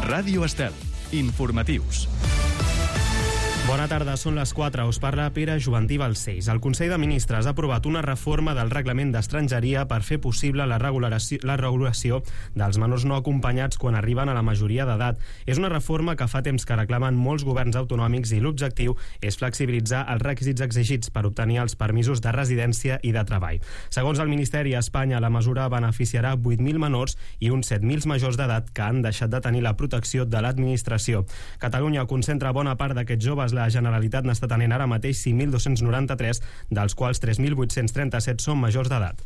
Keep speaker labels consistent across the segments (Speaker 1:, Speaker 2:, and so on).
Speaker 1: Ràdio Estel. Informatius.
Speaker 2: Bona tarda, són les 4. Us parla Pere Juventí Balcells. El Consell de Ministres ha aprovat una reforma del reglament d'estrangeria per fer possible la regulació dels menors no acompanyats quan arriben a la majoria d'edat. És una reforma que fa temps que reclamen molts governs autonòmics i l'objectiu és flexibilitzar els requisits exigits per obtenir els permisos de residència i de treball. Segons el Ministeri, a Espanya la mesura beneficiarà 8.000 menors i uns 7.000 majors d'edat que han deixat de tenir la protecció de l'administració. Catalunya concentra bona part d'aquests joves. La Generalitat n'està tenint ara mateix 5.293, dels quals 3.837 són majors d'edat.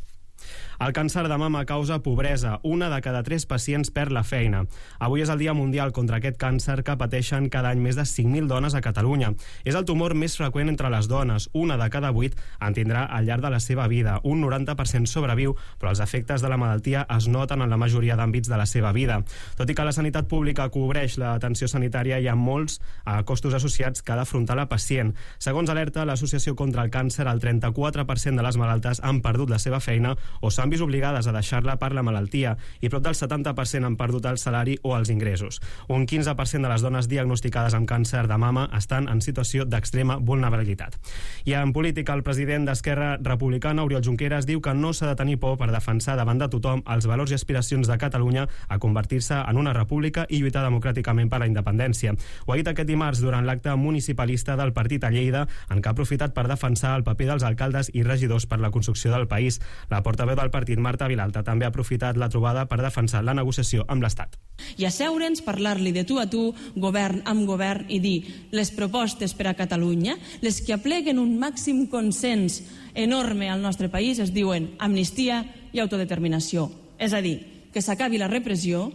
Speaker 2: El càncer de mama causa pobresa. 1 de cada 3 pacients perd la feina. Avui és el Dia Mundial contra aquest càncer que pateixen cada any més de 5.000 dones a Catalunya. És el tumor més freqüent entre les dones. 1 de cada 8 en tindrà al llarg de la seva vida. Un 90% sobreviu, però els efectes de la malaltia es noten en la majoria d'àmbits de la seva vida. Tot i que la sanitat pública cobreix l'atenció sanitària, hi ha molts costos associats que ha d'afrontar la pacient. Segons alerta l'Associació contra el Càncer, el 34% de les malaltes han perdut la seva feina o s'han vist obligades a deixar-la per la malaltia i prop del 70% han perdut el salari o els ingressos. Un 15% de les dones diagnosticades amb càncer de mama estan en situació d'extrema vulnerabilitat. I en política, el president d'Esquerra Republicana, Oriol Junqueras, diu que no s'ha de tenir por per defensar davant de tothom els valors i aspiracions de Catalunya a convertir-se en una república i lluitar democràticament per la independència. Ho ha dit aquest dimarts durant l'acte municipalista del partit a Lleida, en què ha aprofitat per defensar el paper dels alcaldes i regidors per la construcció del país. La portaveu del partit, Marta Vilalta, també ha aprofitat la trobada per defensar la negociació amb l'Estat.
Speaker 3: I asseure'ns, parlar-li de tu a tu, govern amb govern, i dir les propostes per a Catalunya, les que apleguen un màxim consens enorme al nostre país, es diuen amnistia i autodeterminació. És a dir, que s'acabi la repressió,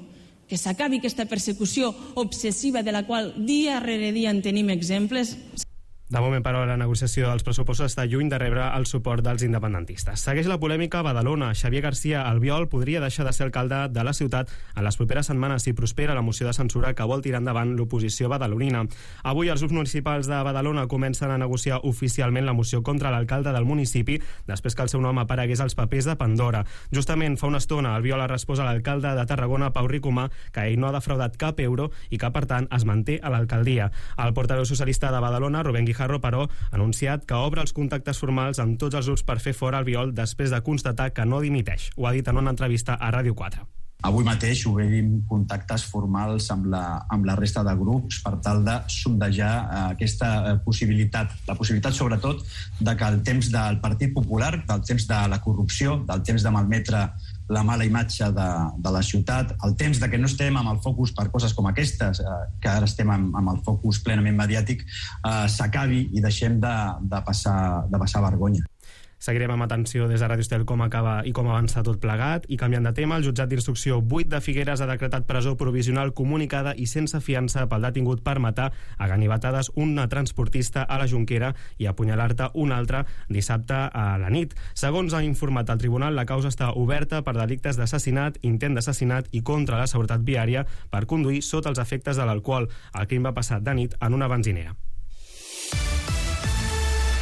Speaker 3: que s'acabi aquesta persecució obsessiva de la qual dia rere dia en tenim exemples.
Speaker 2: De moment, però, la negociació dels pressupostos està lluny de rebre el suport dels independentistes. Segueix la polèmica a Badalona. Xavier García Albiol podria deixar de ser alcalde de la ciutat en les properes setmanes si prospera la moció de censura que vol tirar endavant l'oposició badalonina. Avui els grups municipals de Badalona comencen a negociar oficialment la moció contra l'alcalde del municipi després que el seu nom aparegués als papers de Pandora. Justament fa una estona Albiol ha respost a l'alcalde de Tarragona, Pau Ricomà, que ell no ha defraudat cap euro i que, per tant, es manté a l'alcaldia. El portaveu socialista de Badalona, Rubén Guijarro, però, ha anunciat que obre els contactes formals amb tots els grups per fer fora Albiol després de constatar que no dimiteix. Ho ha dit en una entrevista a Ràdio 4.
Speaker 4: Avui mateix obrim contactes formals amb la resta de grups per tal de sondejar aquesta possibilitat. La possibilitat, sobretot, de que el temps del Partit Popular, del temps de la corrupció, del temps de malmetre la mala imatge de la ciutat, el temps de que no estem amb el focus per coses com aquestes, que ara estem amb el focus plenament mediàtic, s'acabi i deixem de passar vergonya.
Speaker 2: Seguirem amb atenció des de Ràdio Estel com acaba i com avança tot plegat. I canviant de tema, el jutjat d'instrucció 8 de Figueres ha decretat presó provisional comunicada i sense fiança pel detingut per matar a ganivetades una transportista a la Jonquera i apunyalar-te un altre dissabte a la nit. Segons ha informat el tribunal, la causa està oberta per delictes d'assassinat, intent d'assassinat i contra la seguretat viària per conduir sota els efectes de l'alcohol. El crim va passar de nit en una benzinera.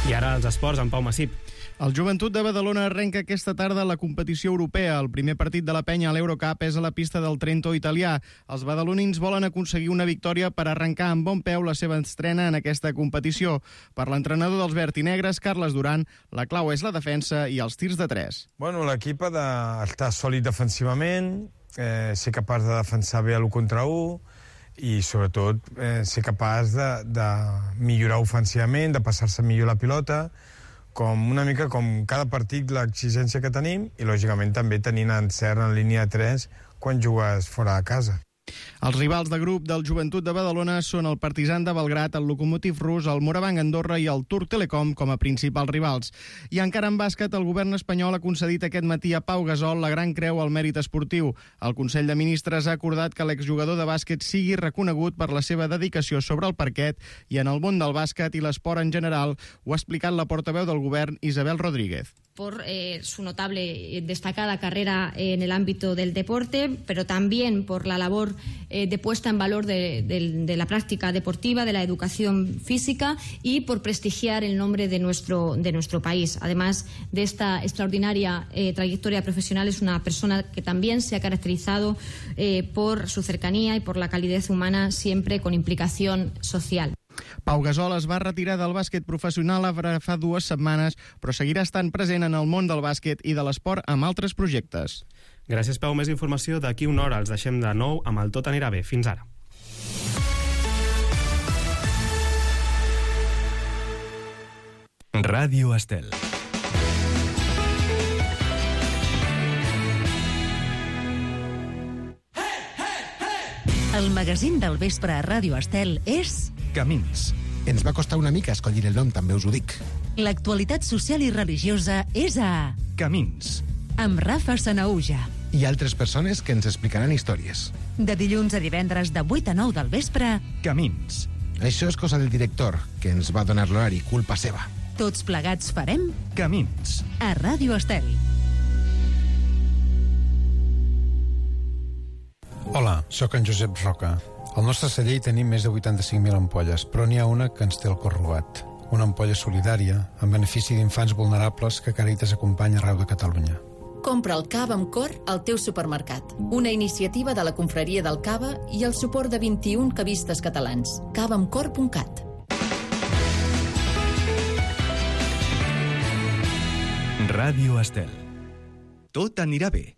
Speaker 2: I ara els esports amb Pau Massip.
Speaker 5: El Joventut de Badalona arrenca aquesta tarda la competició europea. El primer partit de la penya a l'Eurocup és a la pista del Trento italià. Els badalonins volen aconseguir una victòria per arrencar amb bon peu la seva estrena en aquesta competició. Per l'entrenador dels verd i negres, Carles Duran, la clau és la defensa i els tirs de 3.
Speaker 6: Bueno, l'equip ha d'estar sòlid defensivament, ser capaç de defensar bé l'1 contra 1 i, sobretot, ser capaç de millorar ofensivament, de passar-se millor la pilota, una mica com cada partit l'exigència que tenim i, lògicament, també tenint encert en línia 3 quan jugues fora de casa.
Speaker 5: Els rivals de grup del Joventut de Badalona són el Partizan de Belgrat, el Lokomotiv rus, el Morabanc Andorra i el Turc Telecom com a principals rivals. I encara en bàsquet, el govern espanyol ha concedit aquest matí a Pau Gasol la Gran Creu al Mèrit Esportiu. El Consell de Ministres ha acordat que l'exjugador de bàsquet sigui reconegut per la seva dedicació sobre el parquet i en el món del bàsquet i l'esport en general. Ho ha explicat la portaveu del govern, Isabel Rodríguez.
Speaker 7: por su notable y destacada carrera en el ámbito del deporte, pero también por la labor de puesta en valor de la práctica deportiva, de la educación física y por prestigiar el nombre de nuestro país. Además de esta extraordinaria trayectoria profesional, es una persona que también se ha caracterizado por su cercanía y por la calidez humana, siempre con implicación social.
Speaker 5: Pau Gasol es va retirar del bàsquet professional fa 2 setmanes, però seguirà estant present en el món del bàsquet i de l'esport amb altres projectes.
Speaker 2: Gràcies, Pau. Més informació d'aquí una hora. Els deixem de nou amb el Tot anirà bé. Fins ara.
Speaker 1: Ràdio Estel.
Speaker 8: El magazín del vespre a Ràdio Estel és...
Speaker 1: Camins.
Speaker 9: Ens va costar una mica escollir el nom, també us ho dic.
Speaker 8: L'actualitat social i religiosa és a...
Speaker 1: Camins.
Speaker 8: Amb Rafa Sanaúja.
Speaker 9: I altres persones que ens explicaran històries.
Speaker 8: De dilluns a divendres de 8 a 9 del vespre...
Speaker 1: Camins.
Speaker 9: Això és cosa del director, que ens va donar l'horari, culpa seva.
Speaker 8: Tots plegats farem...
Speaker 1: Camins.
Speaker 8: A Ràdio Estel.
Speaker 10: Hola, sóc en Josep Roca. Al nostre celler hi tenim més de 85.000 ampolles, però n'hi ha una que ens té el cor robat. Una ampolla solidària, en benefici d'infants vulnerables que Càritas acompanya arreu de Catalunya.
Speaker 11: Compra el cava amb cor al teu supermercat. Una iniciativa de la Confraria del Cava i el suport de 21 cavistes catalans. cavaamcor.cat.
Speaker 1: Ràdio Estel. Tot anirà bé.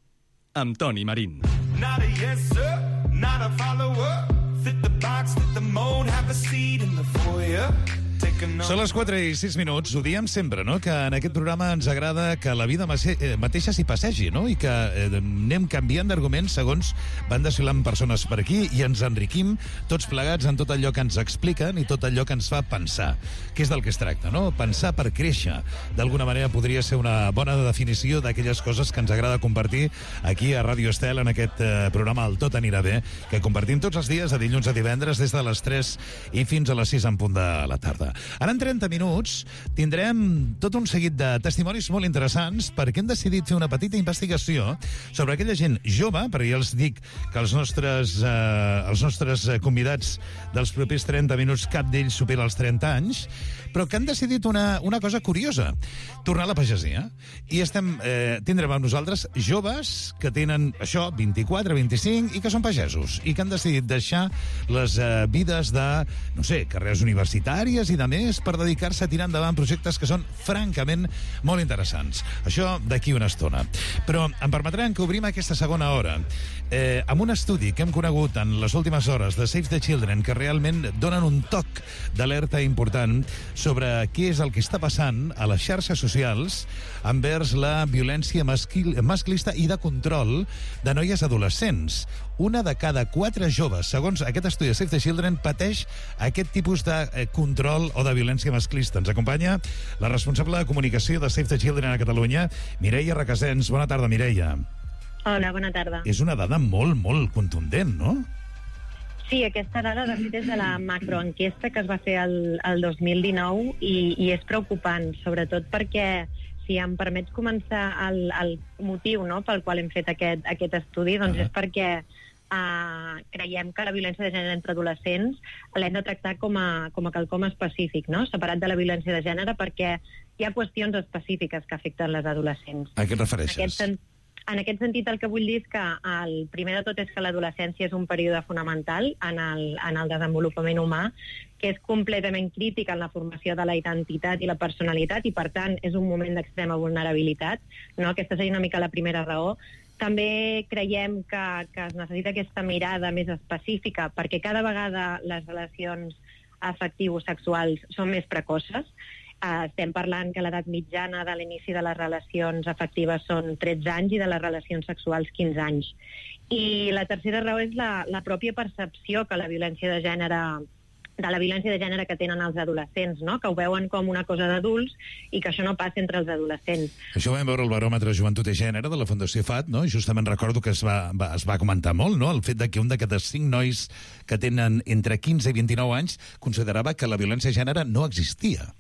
Speaker 1: Amb Toni Marín.
Speaker 12: Not a yes, sir, not a follower. Fit the box, fit the mold, have a seat in the foyer.
Speaker 13: Són les 4:06, ho diem sempre, no?, que en aquest programa ens agrada que la vida mateixa s'hi passegi, no?, i que anem canviant d'arguments segons van desfilant persones per aquí i ens enriquim tots plegats en tot allò que ens expliquen i tot allò que ens fa pensar, que és del que es tracta, no?, pensar per créixer. D'alguna manera podria ser una bona definició d'aquelles coses que ens agrada compartir aquí a Ràdio Estel en aquest programa El Tot anirà bé, que compartim tots els dies de dilluns a divendres des de les 3 i fins a les 6 en punt de la tarda. Ara en 30 minuts tindrem tot un seguit de testimonis molt interessants perquè hem decidit fer una petita investigació sobre aquella gent jove, perquè ja els dic que els nostres convidats dels propers 30 minuts, cap d'ells supera els 30 anys, però que han decidit una cosa curiosa, tornar a la pagesia. I tindrem amb nosaltres joves que tenen això, 24, 25, i que són pagesos, i que han decidit deixar les vides de, no sé, carreres universitàries i de més per dedicar-se a tirar endavant projectes que són francament molt interessants. Això d'aquí una estona. Però em permetran que obrim aquesta segona hora amb un estudi que hem conegut en les últimes hores de Save the Children, que realment donen un toc d'alerta important sobre què és el que està passant a les xarxes socials envers la violència masclista i de control de noies adolescents. Una de cada 4 joves, segons aquest estudi de Save the Children, pateix aquest tipus de control o de violència masclista. Ens acompanya la responsable de comunicació de Save the Children a Catalunya, Mireia Requesens. Bona tarda, Mireia.
Speaker 14: Hola, bona tarda.
Speaker 13: És una dada molt, molt contundent, no?
Speaker 14: Sí, aquesta dada de fet és de la macroenquesta que es va fer el 2019 i és preocupant, sobretot perquè, si em permets començar, el motiu, no?, pel qual hem fet aquest estudi, doncs és perquè creiem que la violència de gènere entre adolescents l'hem de tractar com a quelcom específic, no?, separat de la violència de gènere, perquè hi ha qüestions específiques que afecten les adolescents.
Speaker 13: A què et refereixes?
Speaker 14: En aquest sentit, el que vull dir és que el primer de tot és que l'adolescència és un període fonamental en el desenvolupament humà, que és completament crític en la formació de la identitat i la personalitat i, per tant, és un moment d'extrema vulnerabilitat, no? Aquesta seria una mica la primera raó. També creiem que es necessita aquesta mirada més específica perquè cada vegada les relacions afectivo-sexuals són més precoces. Estem parlant que l'edat mitjana de l'inici de les relacions afectives són 13 anys i de les relacions sexuals 15 anys. I la tercera raó és la pròpia percepció que la violència de gènere que tenen els adolescents, no?, que ho veuen com una cosa d'adults i que això no passa entre els adolescents.
Speaker 13: Això ho vam veure al baròmetre Joventut i Gènere de la Fundació FAT, no? I justament recordo que es va comentar molt, no?, el fet de que un de cada 5 nois que tenen entre 15 i 29 anys considerava que la violència de gènere no existia.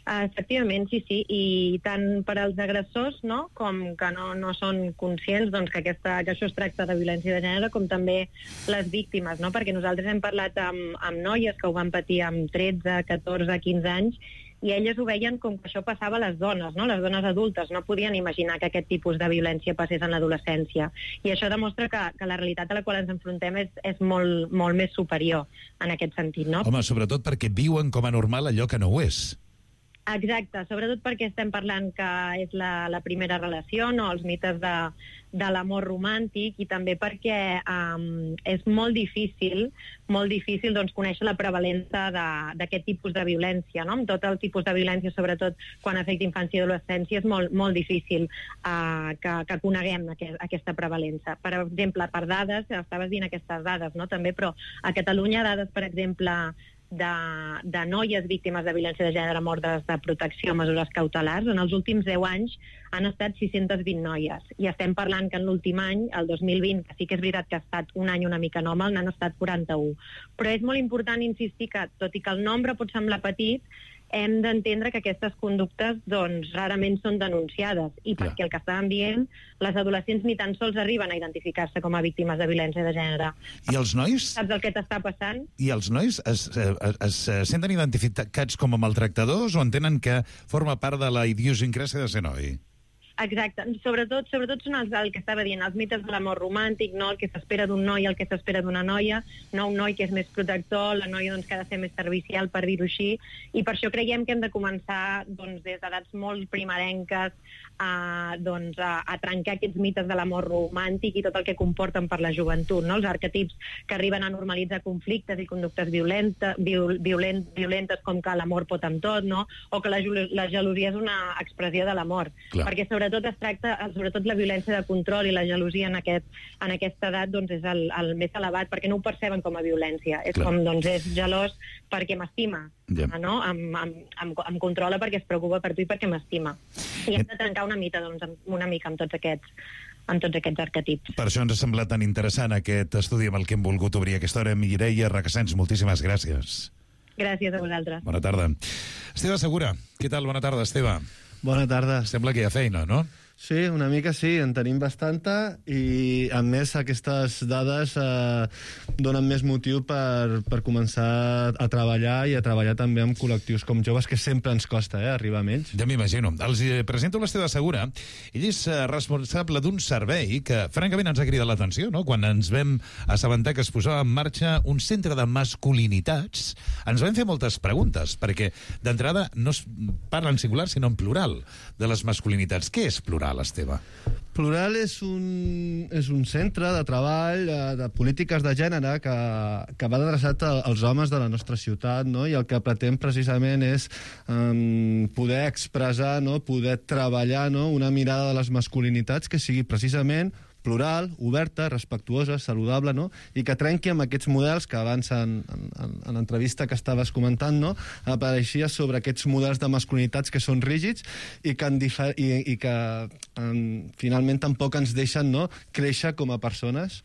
Speaker 14: Efectivament, sí, i tant per als agressors, no?, com que no són conscients doncs, que això es tracta de violència de gènere, com també les víctimes, no?, perquè nosaltres hem parlat amb noies que ho van patir amb 13, 14, 15 anys, i elles ho veien com que això passava a les dones, no?, les dones adultes, no podien imaginar que aquest tipus de violència passés en l'adolescència. I això demostra que la realitat a la qual ens enfrontem és molt, molt més superior en aquest sentit, no?
Speaker 13: Home, sobretot perquè viuen com a normal allò que no ho és.
Speaker 14: Exacte, sobretot perquè estem parlant que és la primera relació, no?, els mites de l'amor romàntic, i també perquè és molt difícil doncs, conèixer la prevalença d'aquest tipus de violència, no? Amb tot el tipus de violència, sobretot quan afecta infància i adolescència, és molt, molt difícil que coneguem aquesta prevalença. Per exemple, per dades, estaves dient aquestes dades, no?, també, però a Catalunya dades, per exemple, de noies víctimes de violència de gènere amb ordres de protecció, mesures cautelars, en els últims 10 anys han estat 620 noies. I estem parlant que en l'últim any, el 2020, que sí que és veritat que ha estat un any una mica anòmal, n'han estat 41. Però és molt important insistir que, tot i que el nombre pot semblar petit, hem d'entendre que aquestes conductes doncs, rarament són denunciades, i perquè el que estàvem dient, les adolescents ni tan sols arriben a identificar-se com a víctimes de violència de gènere.
Speaker 13: I els nois?
Speaker 14: Saps el que t'està passant?
Speaker 13: I els nois es senten identificats com a maltractadors o entenen que forma part de la idiosincràsia de ser noi?
Speaker 14: Exacte. Sobretot són el que estava dient, els mites de l'amor romàntic, no? El que s'espera d'un noi, el que s'espera d'una noia, no un noi que és més protector, la noia doncs, que ha de ser més servicial, per dir-ho així, i per això creiem que hem de començar doncs, des d'edats molt primerenques a trencar aquests mites de l'amor romàntic i tot el que comporten per la joventut, no? Els arquetips que arriben a normalitzar conflictes i conductes violentes com que l'amor pot amb tot, no? O que la gelosia és una expressió de l'amor. Perquè sobretot la violència de control i la gelosia en aquesta edat doncs, és el més elevat, perquè no ho perceben com a violència. És com, doncs, és gelós perquè m'estima, no? Em controla perquè es preocupa per tu i perquè m'estima. I hem de trencar una mica amb tots aquests arquetips.
Speaker 13: Per això ens ha semblat tan interessant aquest estudi amb el que hem volgut obrir aquesta hora. Mireia Requesens, moltíssimes gràcies.
Speaker 14: Gràcies a vosaltres.
Speaker 13: Bona tarda. Esteve Segura, què tal? Bona tarda, Esteve.
Speaker 15: Bona tarda.
Speaker 13: Sembla que hi ha feina, no?
Speaker 15: Sí, una mica sí, en tenim bastanta, i a més aquestes dades donen més motiu per començar a treballar també amb col·lectius com joves, que sempre ens costa arribar a ells.
Speaker 13: Ja m'imagino. Els presento l'Esteve Segura. Ell és responsable d'un servei que francament ens ha cridat l'atenció, no? Quan ens vam assabentar que es posava en marxa un centre de masculinitats, ens vam fer moltes preguntes, perquè d'entrada no es parla en singular sinó en plural de les masculinitats. Què és plural, Esteve?
Speaker 15: Plural és un centre de treball de polítiques de gènere que va adreçat als homes de la nostra ciutat, no? I el que pretén precisament és poder expressar, no? Poder treballar, no? Una mirada de les masculinitats que sigui precisament plural, oberta, respectuosa, saludable, no? I que trenqui amb aquests models que abans en l'entrevista que estaves comentant, no? Apareixia sobre aquests models de masculinitats que són rígids i que finalment tampoc ens deixen, no? Créixer com a persones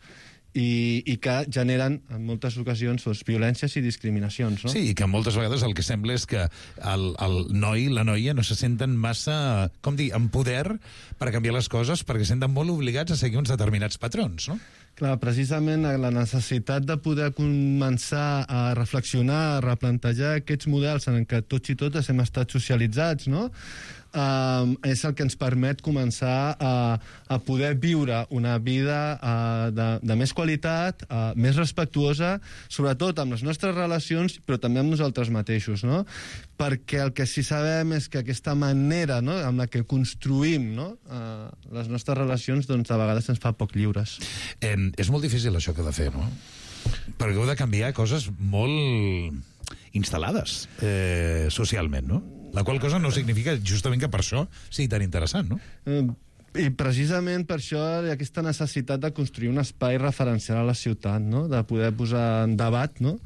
Speaker 15: i que generen en moltes ocasions violències i discriminacions, no?
Speaker 13: Sí, i que moltes vegades el que sembla és que el noi, la noia, no se senten massa, com dir, en poder per canviar les coses, perquè senten molt obligats a seguir uns determinats patrons, no?
Speaker 15: Clar, precisament la necessitat de poder començar a reflexionar, a replantejar aquests models en què tots i totes hem estat socialitzats, no? És el que ens permet començar a poder viure una vida de més qualitat, més respectuosa, sobretot amb les nostres relacions, però també amb nosaltres mateixos, no? Perquè el que sí sabem és que aquesta manera, no?, amb la que construïm, no?, les nostres relacions, doncs a vegades ens fa poc lliures.
Speaker 13: És molt difícil això que heu de fer, no? Perquè heu de canviar coses molt instal·lades socialment, no? La qual cosa no significa justament que per això sigui tan interessant, no?
Speaker 15: I precisament per això hi ha aquesta necessitat de construir un espai referencial a la ciutat, no? De poder posar en debat, no?,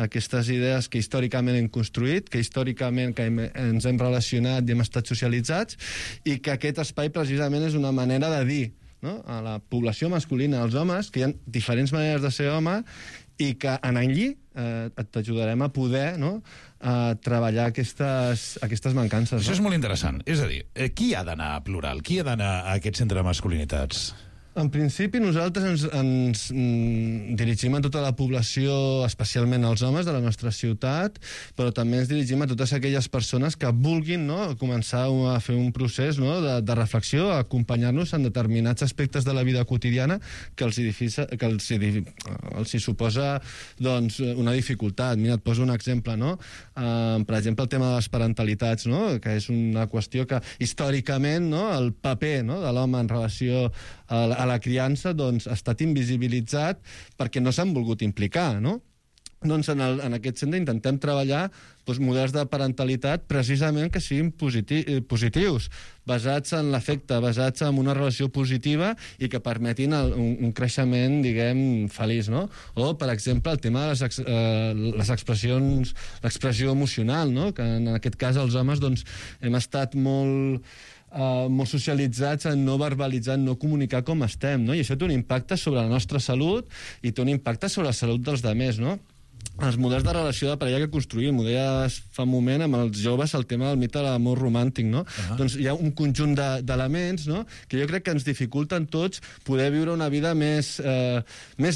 Speaker 15: aquestes idees que històricament hem construït, que històricament ens hem relacionat i hem estat socialitzats, i que aquest espai precisament és una manera de dir, no?, a la població masculina, als homes, que hi ha diferents maneres de ser home, i que en allí t'ajudarem a poder treballar aquestes mancances.
Speaker 13: Això és molt interessant. És a dir, qui ha d'anar a Plural? Qui ha d'anar a aquest centre de masculinitats?
Speaker 15: En principi, nosaltres ens dirigim a tota la població, especialment als homes de la nostra ciutat, però també ens dirigim a totes aquelles persones que vulguin començar a fer un procés de reflexió, a acompanyar-nos en determinats aspectes de la vida quotidiana que els hi suposa una dificultat. Mira, et poso un exemple. Per exemple, el tema de les parentalitats, que és una qüestió que històricament el paper de l'home en relació a la criança ha estat invisibilitzat perquè no s'han volgut implicar, no? Doncs en aquest centre intentem treballar models de parentalitat precisament que siguin positius, basats en l'afecte, basats en una relació positiva i que permetin un creixement, diguem, feliç, no? O, per exemple, el tema de les expressions, l'expressió emocional, no? Que en aquest cas els homes hem estat molt socialitzats en no verbalitzar, en no comunicar com estem, no? I això té un impacte sobre la nostra salut i té un impacte sobre la salut dels altres, no? Els models de relació de parella que construïm, ho deies fa un moment amb els joves, el tema del mite de l'amor romàntic, no? Doncs hi ha un conjunt d'elements, no?, que jo crec que ens dificulten tots poder viure una vida més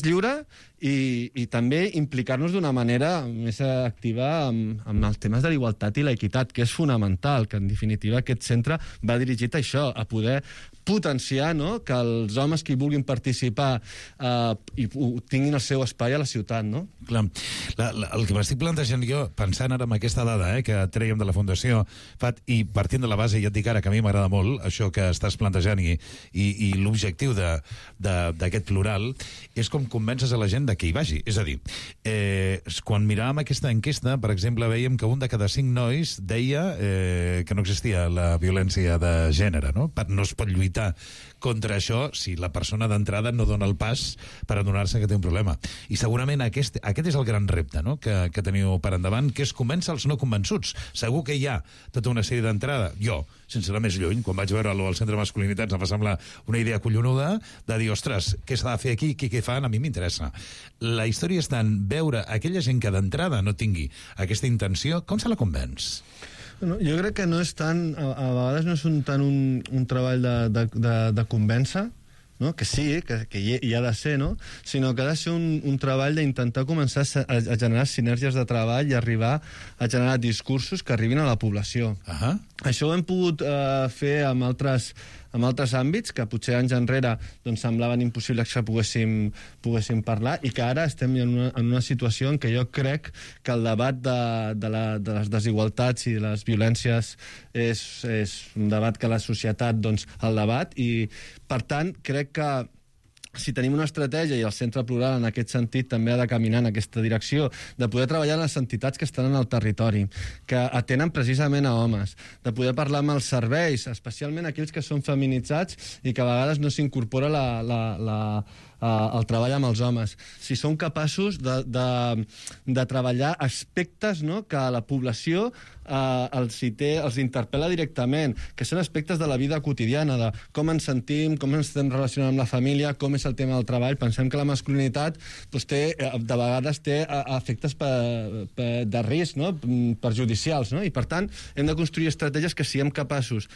Speaker 15: lliure i també implicar-nos d'una manera més activa amb els temes de la igualtat i l'equitat, que és fonamental, que en definitiva aquest centre va dirigit a això, a poder potenciar que els homes que hi vulguin participar tinguin el seu espai a la ciutat, no?
Speaker 13: Clar. El que m'estic plantejant jo, pensant ara en aquesta dada que trèiem de la Fundació FAT, i partint de la base, ja et dic ara que a mi m'agrada molt això que estàs plantejant i l'objectiu d'aquest plural, és com convences a la gent de que hi vagi. És a dir, quan miràvem aquesta enquesta, per exemple, veiem que un de cada 5 nois deia que no existia la violència de gènere, no? No es pot lluitar contra això si la persona d'entrada no dona el pas per adonar-se que té un problema. I segurament aquest és el gran repte, no?, que teniu per endavant, que és convèncer els no convençuts. Segur que hi ha tota una sèrie d'entrada. Jo, sense anar més lluny, quan vaig veure-lo al Centre de Masculinitats em va semblar una idea collonuda de dir, ostres, què s'ha de fer aquí, què fan, a mi m'interessa. La història està en veure aquella gent que d'entrada no tingui aquesta intenció, com se la convenç?
Speaker 15: Jo crec que no és tant, a vegades no és tant un treball de convèncer, no? Que sí, que hi ha de ser, no? Sinó que ha de ser un treball d'intentar començar a generar sinergies de treball i arribar a generar discursos que arribin a la població. Això ho hem pogut fer amb altres àmbits que potser anys enrere semblaven impossibles que poguéssim parlar i que ara estem en una situació en què jo crec que el debat de les desigualtats i de les violències és un debat que la societat el debat i, per tant, crec que si tenim una estratègia, i el Centre Plural en aquest sentit també ha de caminar en aquesta direcció, de poder treballar amb les entitats que estan en el territori, que atenen precisament a homes, de poder parlar amb els serveis, especialment aquells que són feminitzats i que a vegades no s'incorpora el treball amb els homes. Si som capaços de treballar aspectes que a la població els interpel·la directament, que són aspectes de la vida quotidiana, de com ens sentim, com ens estem relacionant amb la família, com és el tema del treball. Pensem que la masculinitat de vegades té efectes de risc, perjudicials, i per tant hem de construir estratègies que siguem capaços,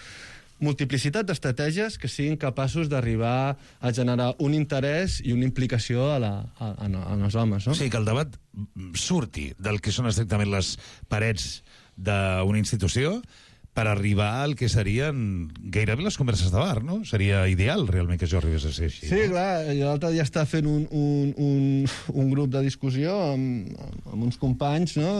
Speaker 15: multiplicitat d'estratègies que siguin capaços d'arribar a generar un interès i una implicació en els homes. No?
Speaker 13: O sigui, que el debat surti del que són estrictament les parets d'una institució per arribar al que serien gairebé les converses de bar, no? Seria ideal, realment, que això arribés a ser així.
Speaker 15: Sí, clar. L'altre dia estava fent un grup de discussió amb uns companys, no?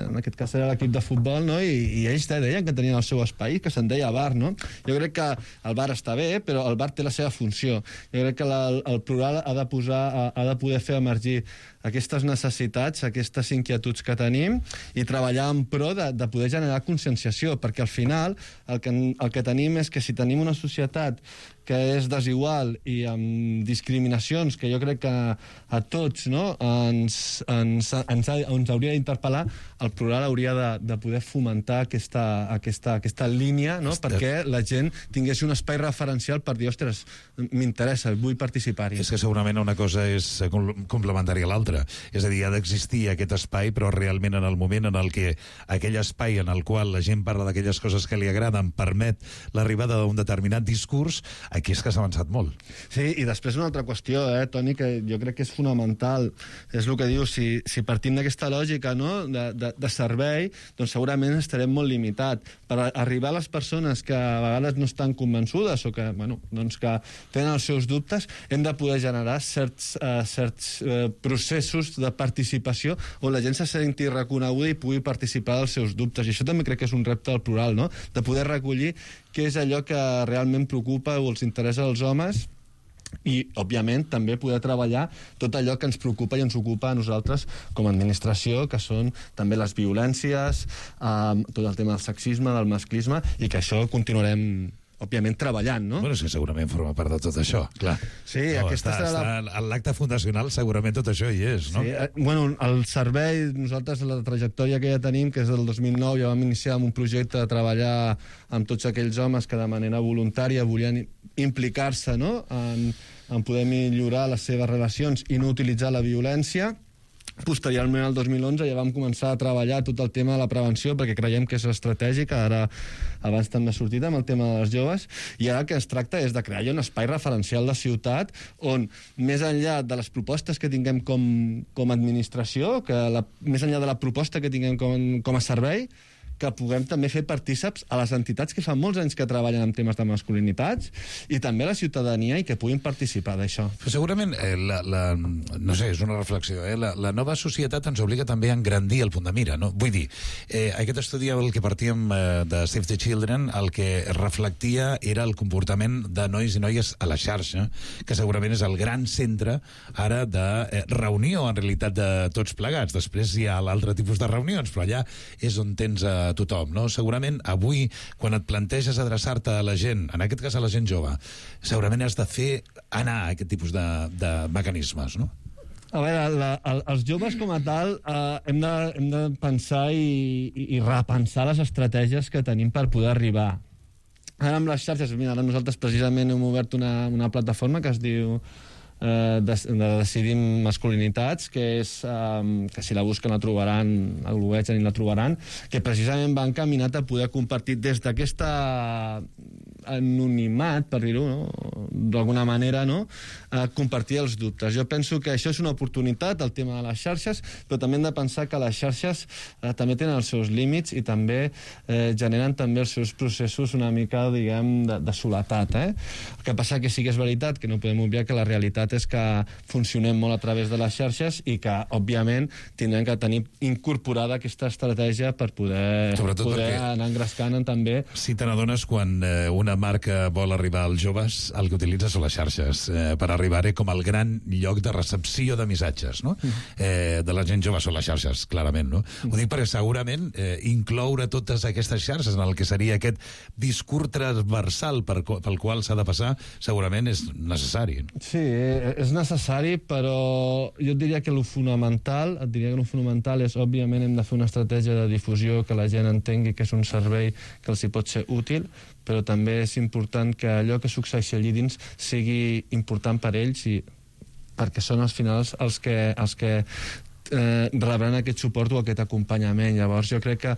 Speaker 15: En aquest cas era l'equip de futbol, no? I ells deien que tenien el seu espai, que se'n deia bar, no? Jo crec que el bar està bé, però el bar té la seva funció. Jo crec que el plural ha de poder fer emergir aquestes necessitats, aquestes inquietuds que tenim i treballar en pro de poder generar conscienciació, perquè al final el que tenim és que si tenim una societat que és desigual i amb discriminacions que jo crec que a tots ens hauria d'interpel·lar, el plural hauria de poder fomentar aquesta línia perquè la gent tingués un espai referencial per dir, ostres, m'interessa, vull participar-hi.
Speaker 13: És que segurament una cosa és complementària a l'altra. És a dir, ha d'existir aquest espai, però realment en el moment en el que aquell espai en el qual la gent parla d'aquelles coses que li agraden permet l'arribada d'un determinat discurs, aquí és que s'ha avançat molt.
Speaker 15: Sí, i després una altra qüestió, Toni, que jo crec que és fonamental, és el que diu, si partim d'aquesta lògica de servei, doncs segurament estarem molt limitat. Per arribar a les persones que a vegades no estan convençudes o que tenen els seus dubtes, hem de poder generar certs processos de participació on la gent se senti reconeguda i pugui participar dels seus dubtes. I això també crec que és un repte del plural, de poder recollir què és allò que realment preocupa o els interessa als homes i, òbviament, també poder treballar tot allò que ens preocupa i ens ocupa a nosaltres com a administració, que són també les violències, tot el tema del sexisme, del masclisme, i que això continuarem òbviament treballant, no?
Speaker 13: Bueno, és que segurament forma part de tot això, clar.
Speaker 15: Sí, aquesta serà
Speaker 13: l'acte fundacional segurament tot això hi és, no?
Speaker 15: Sí, bueno, el servei, nosaltres la trajectòria que ja tenim, que és del 2009, ja vam iniciar amb un projecte de treballar amb tots aquells homes que de manera voluntària volien implicar-se en poder millorar les seves relacions i no utilitzar la violència. Posteriorment, al 2011, ja vam començar a treballar tot el tema de la prevenció, perquè creiem que és estratègic, ara abans també ha sortit amb el tema de les joves, i ara el que es tracta és de crear un espai referencial de ciutat on, més enllà de les propostes que tinguem com a administració, més enllà de la proposta que tinguem com a servei, que puguem també fer partíceps a les entitats que fa molts anys que treballen en temes de masculinitats i també a la ciutadania i que puguin participar d'això.
Speaker 13: Però segurament, no sé, és una reflexió, la nova societat ens obliga també a engrandir el punt de mira, no? Vull dir, aquest estudi al que partíem de Save the Children, el que reflectia era el comportament de nois i noies a la xarxa, que segurament és el gran centre ara de reunió, en realitat, de tots plegats. Després hi ha l'altre tipus de reunions, però allà és on tens tothom, no? Segurament avui, quan et planteges adreçar-te a la gent, en aquest cas a la gent jove, segurament has de fer anar a aquest tipus de mecanismes, no?
Speaker 15: A veure, els joves com a tal hem de pensar i repensar les estratègies que tenim per poder arribar. Ara amb les xarxes, mira, ara nosaltres precisament hem obert una plataforma que es diu Decidim Masculinitats, que és que si la busquen la trobaran, el googlegen i la trobaran, que precisament va encaminat a poder compartir des d'aquesta anonimat, per dir-ho, d'alguna manera, compartir els dubtes. Jo penso que això és una oportunitat, el tema de les xarxes, però també hem de pensar que les xarxes també tenen els seus límits i també generen també els seus processos una mica, diguem, de soledat. El que passa que sí que és veritat que no podem obviar que la realitat és que funcionem molt a través de les xarxes i que, òbviament, tindrem que tenir incorporada aquesta estratègia per poder anar engrescant també.
Speaker 13: Si te n'adones quan una marca vol arribar als joves, el que utilitza són les xarxes per arribar-hi com el gran lloc de recepció de missatges, no? De la gent jove són les xarxes, clarament, no? Ho dic perquè segurament incloure totes aquestes xarxes en el que seria aquest discurs transversal pel qual s'ha de passar, segurament és necessari.
Speaker 15: Sí, és necessari, però jo et diria que el fonamental és, òbviament, hem de fer una estratègia de difusió que la gent entengui que és un servei que els hi pot ser útil, però també és important que allò que succeeixi allí dins sigui important per ells i perquè són als finals els que rebran aquest suport o aquest acompanyament. Llavors jo crec que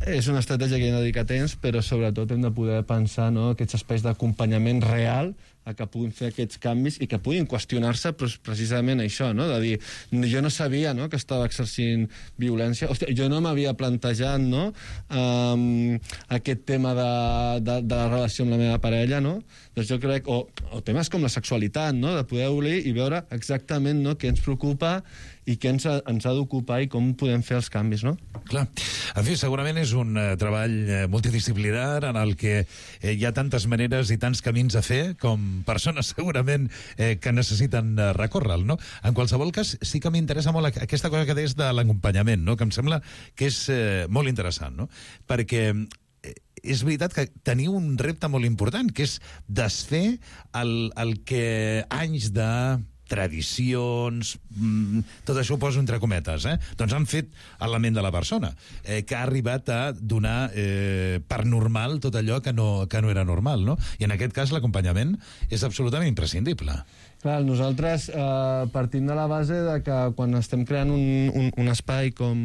Speaker 15: és una estratègia que hi ha de dedicar temps, però sobretot hem de poder pensar aquests espais d'acompanyament real a que puguin fer aquests canvis i que puguin qüestionar-se precisament això, de dir, jo no sabia que estava exercint violència, hòstia, jo no m'havia plantejat aquest tema de la relació amb la meva parella, doncs jo crec, o temes com la sexualitat, de poder obrir i veure exactament què ens preocupa i què ens ha d'ocupar i com podem fer els canvis, no?
Speaker 13: Clar. En fi, segurament és un treball multidisciplinar en el que hi ha tantes maneres i tants camins a fer com persones segurament que necessiten recórrer-lo, no? En qualsevol cas, sí que m'interessa molt aquesta cosa que deies de l'acompanyament, no? Que em sembla que és molt interessant, no? Perquè és veritat que teniu un repte molt important, que és desfer el que anys de tradicions, tot això ho poso entre cometes, doncs han fet element de la persona, que ha arribat a donar per normal tot allò que no era normal, no? I en aquest cas l'acompanyament és absolutament imprescindible.
Speaker 15: Clar, nosaltres partim de la base de que quan estem creant un espai com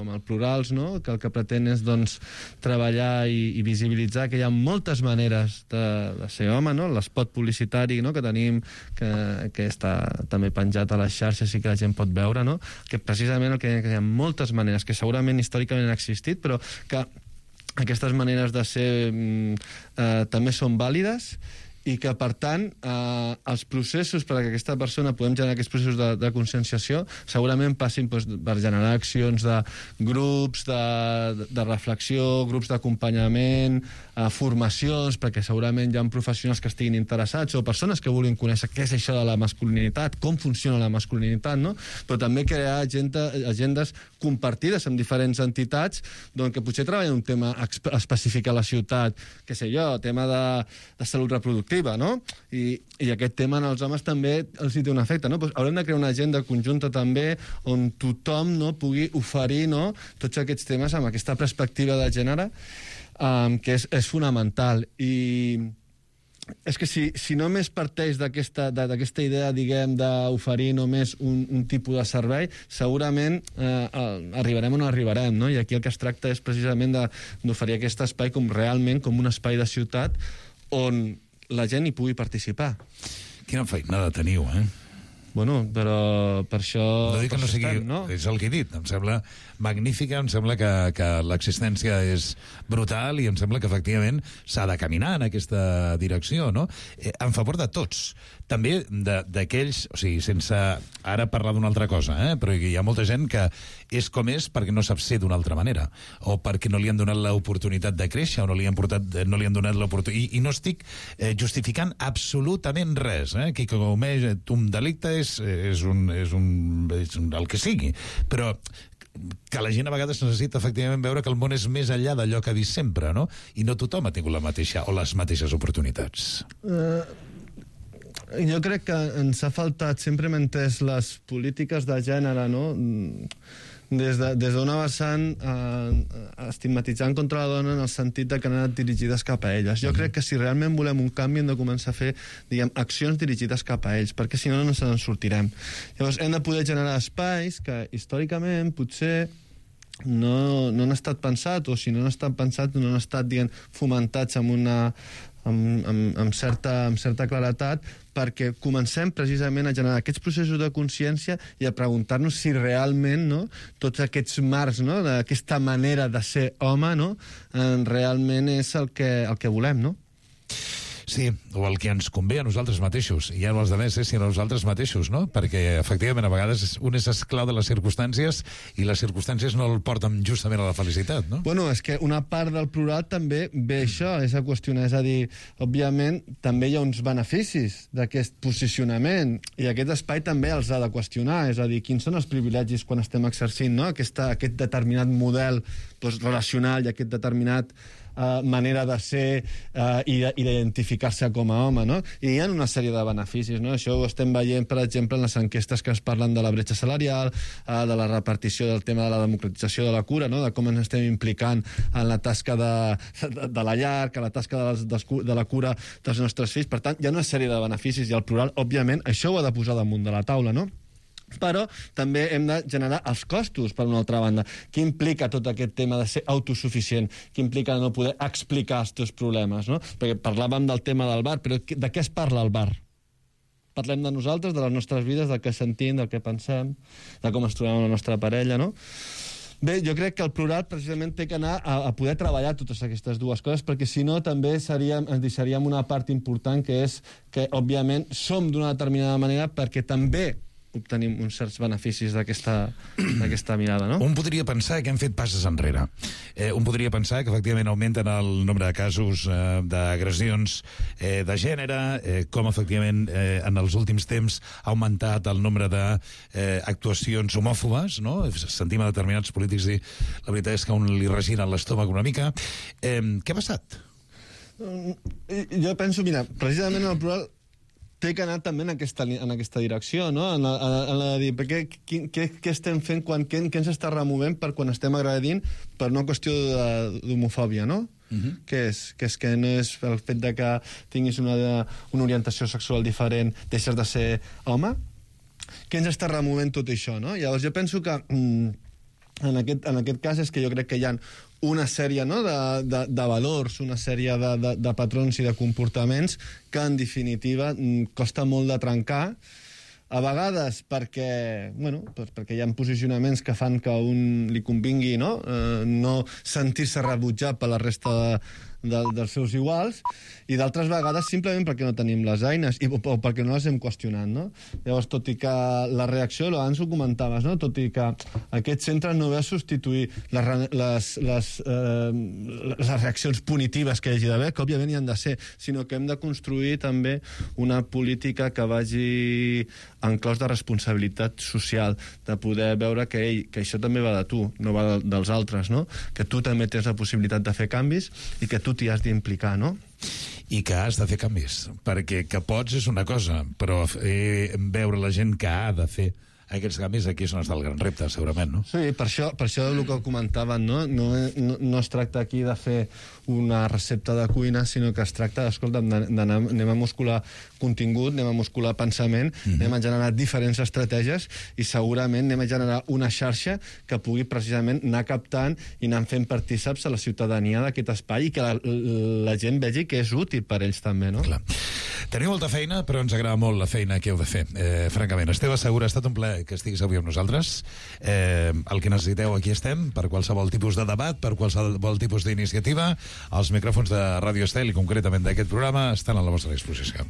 Speaker 15: el Plurals, no? Que el que pretén és doncs, treballar i visibilitzar que hi ha moltes maneres de ser home, no? L'espot publicitari, no? Que tenim, que està també penjat a les xarxes i que la gent pot veure, no? Que precisament que hi ha moltes maneres que segurament històricament han existit, però que aquestes maneres de ser també són vàlides i que, per tant, els processos perquè aquesta persona podem generar aquests processos de conscienciació segurament passin per generar accions de grups de reflexió, grups d'acompanyament, formacions, perquè segurament hi ha professionals que estiguin interessats o persones que vulguin conèixer què és això de la masculinitat, com funciona la masculinitat, no? Però també crear agendes compartides amb diferents entitats que potser treballen un tema específic a la ciutat, què sé jo, tema de salut reproductiva, no? I aquest tema en els homes també els hi té un efecte, no? Pues haurem de crear una agenda conjunta també on tothom pugui oferir tots aquests temes amb aquesta perspectiva de gènere que és fonamental. I és que si només parteix d'aquesta idea, diguem, d'oferir només un tipus de servei, segurament arribarem on arribarem, no? I aquí el que es tracta és precisament d'oferir aquest espai realment com un espai de ciutat on la gent hi pugui participar.
Speaker 13: Quina feinada teniu,
Speaker 15: Bueno, però per això...
Speaker 13: No dic que no sigui... No? És el que he dit. Em sembla magnífica, em sembla que l'existència és brutal i em sembla que, efectivament, s'ha de caminar en aquesta direcció, no? En favor de tots. També d'aquells... O sigui, sense ara parlar d'una altra cosa, però hi ha molta gent que és com és perquè no sap ser d'una altra manera, o perquè no li han donat l'oportunitat de créixer, o no li han donat l'oportunitat... I no estic justificant absolutament res, Qui comeix un delicte és el que sigui, però que la gent a vegades necessita efectivament veure que el món és més enllà d'allò que ha vist sempre, no? I no tothom ha tingut la mateixa o les mateixes oportunitats.
Speaker 15: Jo crec que ens ha faltat, sempre hem entès les polítiques de gènere, no? Des d'una vessant estigmatitzant contra la dona en el sentit de que han anat dirigides cap a elles. Jo crec que si realment volem un canvi hem de començar a fer, diguem, accions dirigides cap a ells, perquè si no, no se'n sortirem. Llavors hem de poder generar espais que històricament potser no han estat pensats, o si no han estat pensats no han estat, diguem, fomentats amb certa claretat, perquè comencem precisament a generar aquests processos de consciència i a preguntar-nos si realment tots aquests marcs d'aquesta manera de ser home realment és el que volem, no?
Speaker 13: Sí, o el que ens convé a nosaltres mateixos, i ja no els altres, sinó a nosaltres mateixos, no? Perquè, efectivament, a vegades un és esclau de les circumstàncies i les circumstàncies no el porten justament a la felicitat, no?
Speaker 15: Bueno, és que una part del plural també ve això, és a qüestionar, és a dir, òbviament, també hi ha uns beneficis d'aquest posicionament, i aquest espai també els ha de qüestionar, és a dir, quins són els privilegis quan estem exercint, no? Aquest determinat model relacional i aquest determinat manera de ser i d'identificar-se com a home, no? I hi ha una sèrie de beneficis, no? Això ho estem veient, per exemple, en les enquestes que es parlen de la bretxa salarial, de la repartició del tema de la democratització de la cura, no? De com ens estem implicant en la tasca de la llar, que la tasca de la cura dels nostres fills. Per tant, hi ha una sèrie de beneficis i el plural, òbviament, això ho ha de posar damunt de la taula, no? Però també hem de generar els costos, per una altra banda. Què implica tot aquest tema de ser autosuficient? Què implica no poder explicar els teus problemes, no? Perquè parlàvem del tema del bar, però de què es parla al bar? Parlem de nosaltres, de les nostres vides, del que sentim, del que pensem, de com ens trobem amb la nostra parella, no? Bé, jo crec que el plural precisament té que anar a poder treballar totes aquestes dues coses, perquè si no també ens deixaríem una part important, que és que, òbviament, som d'una determinada manera perquè també obtenim uns certs beneficis d'aquesta mirada, no?
Speaker 13: Un podria pensar que hem fet passes enrere. Un podria pensar que efectivament augmenten el nombre de casos d'agressions de gènere, com efectivament en els últims temps ha augmentat el nombre d'actuacions homòfobes, no? Sentim a determinats polítics dir la veritat és que a un li regina l'estómac una mica. Què ha passat?
Speaker 15: Jo penso, mira, precisament el plural té que anar també en aquesta direcció, no? En la de dir, què estem fent, què ens està removent per quan estem agredint per una qüestió d'homofòbia, no? Que no és el fet de que tinguis una orientació sexual diferent, deixes de ser home? Què ens està removent tot això, no? Llavors jo penso que en aquest cas és que jo crec que hi ha una sèrie de valors, una sèrie de patrons i de comportaments que, en definitiva, costa molt de trencar, a vegades perquè hi ha posicionaments que fan que a un li convingui no sentir-se rebutjat per la resta dels seus iguals, i d'altres vegades simplement perquè no tenim les eines o perquè no les hem qüestionat, no? Llavors, tot i que la reacció, abans ho comentaves, no? Tot i que aquest centre no ve a substituir les reaccions punitives que hi hagi d'haver, que òbviament hi han de ser, sinó que hem de construir també una política que vagi en claus de responsabilitat social, de poder veure que això també va de tu, no va dels altres, no? Que tu també tens la possibilitat de fer canvis i que tu t'hi has d'implicar, no?
Speaker 13: I que has de fer canvis, perquè que pots és una cosa, però veure la gent que ha de fer aquests canvis, aquí és on està el gran repte, segurament, no?
Speaker 15: Sí, per això el que comentaven, no? No es tracta aquí de fer una recepta de cuina, sinó que es tracta, escolta, anem a muscular contingut, anem a muscular pensament, anem a generar diferents estratègies i segurament anem a generar una xarxa que pugui precisament anar captant i anar fent partíceps a la ciutadania d'aquest espai i que la gent vegi que és útil per ells també, no?
Speaker 13: Clar. Teniu molta feina, però ens agrada molt la feina que heu de fer, francament. Esteve Segura, ha estat un plaer que estiguis avui amb nosaltres. El que necessiteu, aquí estem, per qualsevol tipus de debat, per qualsevol tipus d'iniciativa. Els micròfons de Ràdio Estel, i concretament d'aquest programa, estan a la vostra disposició.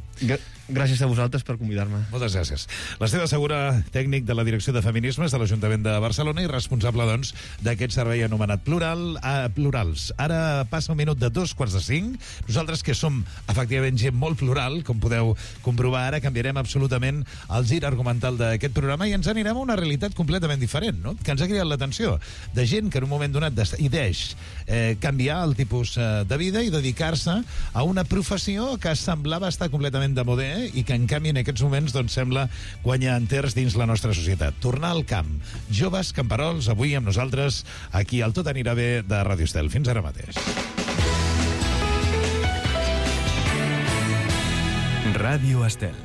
Speaker 15: Gràcies a vosaltres per convidar-me.
Speaker 13: Moltes gràcies. L'Esteve Segura, tècnic de la Direcció de Feminismes de l'Ajuntament de Barcelona i responsable, doncs, d'aquest servei anomenat Plurals. Ara passa un minut de 4:45. Nosaltres, que som, efectivament, gent molt plural, com podeu comprovar ara, canviarem absolutament el gir argumental d'aquest programa i ens anirem a una realitat completament diferent, no? Que ens ha cridat l'atenció, de gent que en un moment donat decideix canviar el tipus de vida i dedicar-se a una professió que semblava estar completament de moda i que en canvi en aquests moments doncs sembla guanyar enters dins la nostra societat. Tornar al camp. Joves camperols, avui amb nosaltres aquí al Tot anirà bé de Ràdio Estel. Fins ara mateix.
Speaker 1: Ràdio Estel.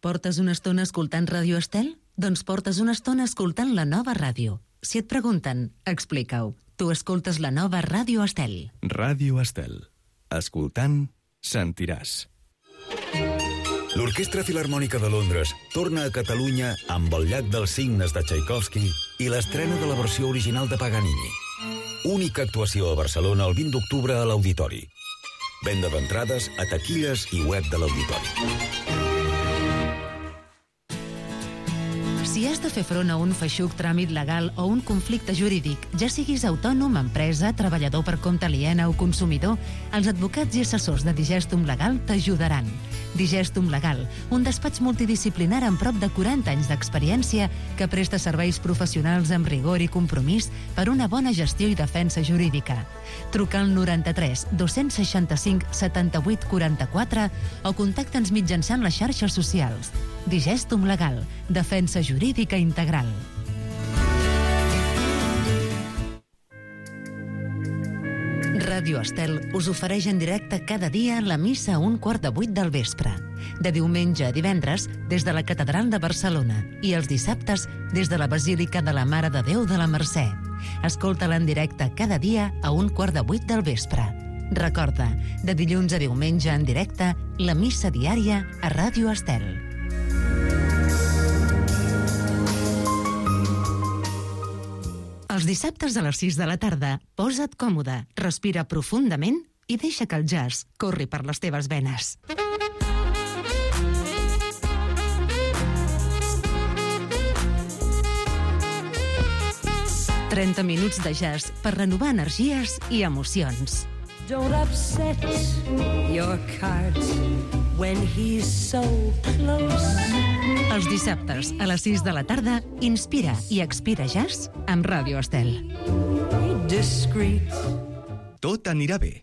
Speaker 8: Portes una estona escoltant Ràdio Estel? Doncs portes una estona escoltant la nova ràdio. Si et pregunten, explica-ho. Tu escoltes la nova Ràdio Estel.
Speaker 1: Ràdio Estel. Escoltant, sentiràs.
Speaker 16: L'Orquestra Filharmònica de Londres torna a Catalunya amb el Llac dels Cignes de Tchaikovsky i l'estrena de la versió original de Paganini. Única actuació a Barcelona el 20 d'octubre a l'Auditori. Venda d'entrades a taquilles i web de l'Auditori.
Speaker 8: Si has de fer front a un feixuc tràmit legal o un conflicte jurídic, ja siguis autònom, empresa, treballador per compte aliena o consumidor, els advocats i assessors de Digestum Legal t'ajudaran. Digestum Legal, un despatx multidisciplinar amb prop de 40 anys d'experiència que presta serveis professionals amb rigor i compromís per una bona gestió i defensa jurídica. Truca al 93 265 78 44 o contacta'ns mitjançant les xarxes socials. Digestum Legal, defensa jurídica integral. Ràdio Estel us ofereix en directe cada dia la missa a 7:15 del vespre. De diumenge a divendres, des de la Catedral de Barcelona, i els dissabtes, des de la Basílica de la Mare de Déu de la Mercè. Escolta-la en directe cada dia a 7:15 del vespre. Recorda, de dilluns a diumenge en directe, la missa diària a Ràdio Estel. Els dissabtes a les 6 de la tarda, posa't còmode, respira profundament i deixa que el jazz corri per les teves venes. 30 minuts de jazz per renovar energies i emocions.
Speaker 17: Don't upset your cards when he's so close.
Speaker 8: Els dissabtes a les 6 de la tarda, Inspira i Expira Jazz amb Ràdio Estel.
Speaker 17: Discreet.
Speaker 1: Tot anirà bé,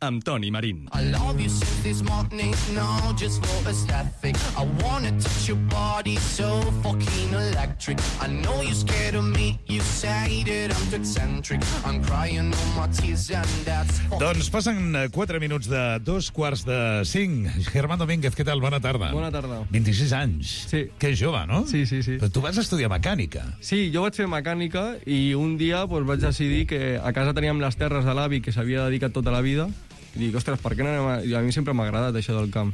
Speaker 1: amb Toni Marín.
Speaker 18: I love you since this morning, no, just for aesthetic. I wanna touch your body so fucking electric. I know you're scared of me, you say that I'm too eccentric. I'm crying all my tears and that's...
Speaker 13: Doncs passen 4 minuts de 2:45. Germán Domínguez, què tal? Bona tarda.
Speaker 19: Bona tarda.
Speaker 13: 26 anys.
Speaker 19: Sí.
Speaker 13: Que jove, no?
Speaker 19: Sí.
Speaker 13: Però tu vas estudiar mecànica.
Speaker 19: Sí, jo vaig fer mecànica i un dia vaig decidir que a casa teníem les terres de l'avi que s'havia dedicat tota la vida. I dic, ostres, per què no anem a... I a mi sempre m'ha agradat això del camp.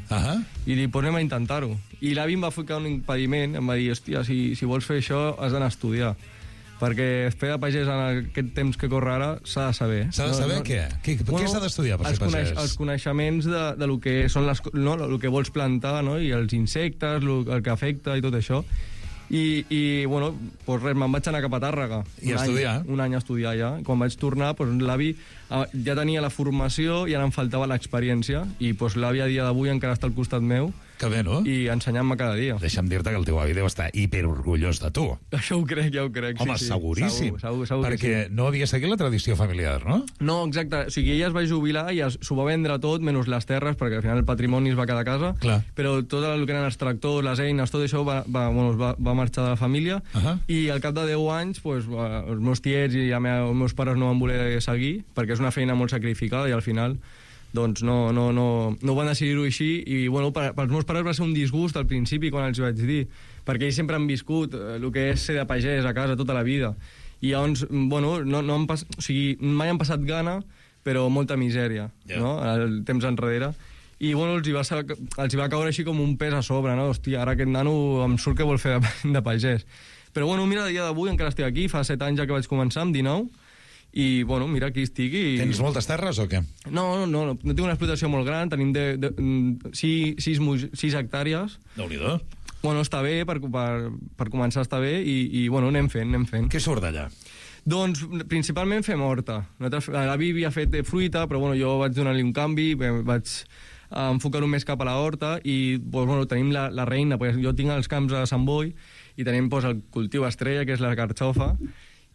Speaker 19: I dic, pues anem a intentar-ho. I l'avi em va ficar un impediment, em va dir, hòstia, si vols fer això has d'anar a estudiar. Perquè fer de pagès en aquest temps que corre ara s'ha de saber.
Speaker 13: S'ha de saber què? Què s'ha d'estudiar per ser pagès?
Speaker 19: Els coneixements de lo que són el que vols plantar, no? I els insectes, el que afecta i tot això. I bueno, pues res, me'n vaig anar cap a Tàrrega.
Speaker 13: I a estudiar?
Speaker 19: Un any a estudiar ja. Quan vaig tornar, pues, l'avi ja tenia la formació i ara em faltava l'experiència. I pues, l'avi a dia d'avui encara està al costat meu.
Speaker 13: Que bé, no?
Speaker 19: I ensenyant-me cada dia.
Speaker 13: Deixa'm dir-te que el teu avi deu estar hiperorgullós de tu.
Speaker 19: Això ho crec, ja ho crec.
Speaker 13: Home,
Speaker 19: sí.
Speaker 13: seguríssim.
Speaker 19: Segur
Speaker 13: perquè no havia seguit la tradició familiar, no?
Speaker 19: No, exacte. O sigui, ella es va jubilar i s'ho va vendre tot, menys les terres, perquè al final el patrimoni es va quedar a casa.
Speaker 13: Clar.
Speaker 19: Però tot el que eren els tractors, les eines, tot això va marxar de la família. I al cap de 10 anys, pues, els meus tiets i els meus pares no van voler seguir, perquè és una feina molt sacrificada i al final doncs no van decidir-ho així i bueno, pels meus pares va ser un disgust al principi quan els vaig dir, perquè ells sempre han viscut el que és ser de pagès a casa tota la vida i llavors, bueno, mai han passat gana però molta misèria, no? El temps enrere i bueno, els hi va caure així com un pes a sobre, no? Hòstia, ara aquest nano em surt que vol fer de pagès però bueno, mira, a dia d'avui encara estic aquí, fa 7 anys ja que vaig començar, amb 19 i, bueno, mira, aquí estic i...
Speaker 13: Tens moltes terres o què?
Speaker 19: No tinc una explotació molt gran, tenim 6 hectàrees.
Speaker 13: Déu-n'hi-do.
Speaker 19: Bueno, està bé, per començar està bé, i bueno, anem fent.
Speaker 13: Què surt d'allà?
Speaker 19: Doncs, principalment fem horta. L'avi havia fet fruita, però bueno, jo vaig donar-li un canvi, vaig enfocar-ho més cap a la horta, i bueno, tenim la reina, perquè jo tinc els camps a Sant Boi, i tenim el cultiu estrella, que és la carxofa,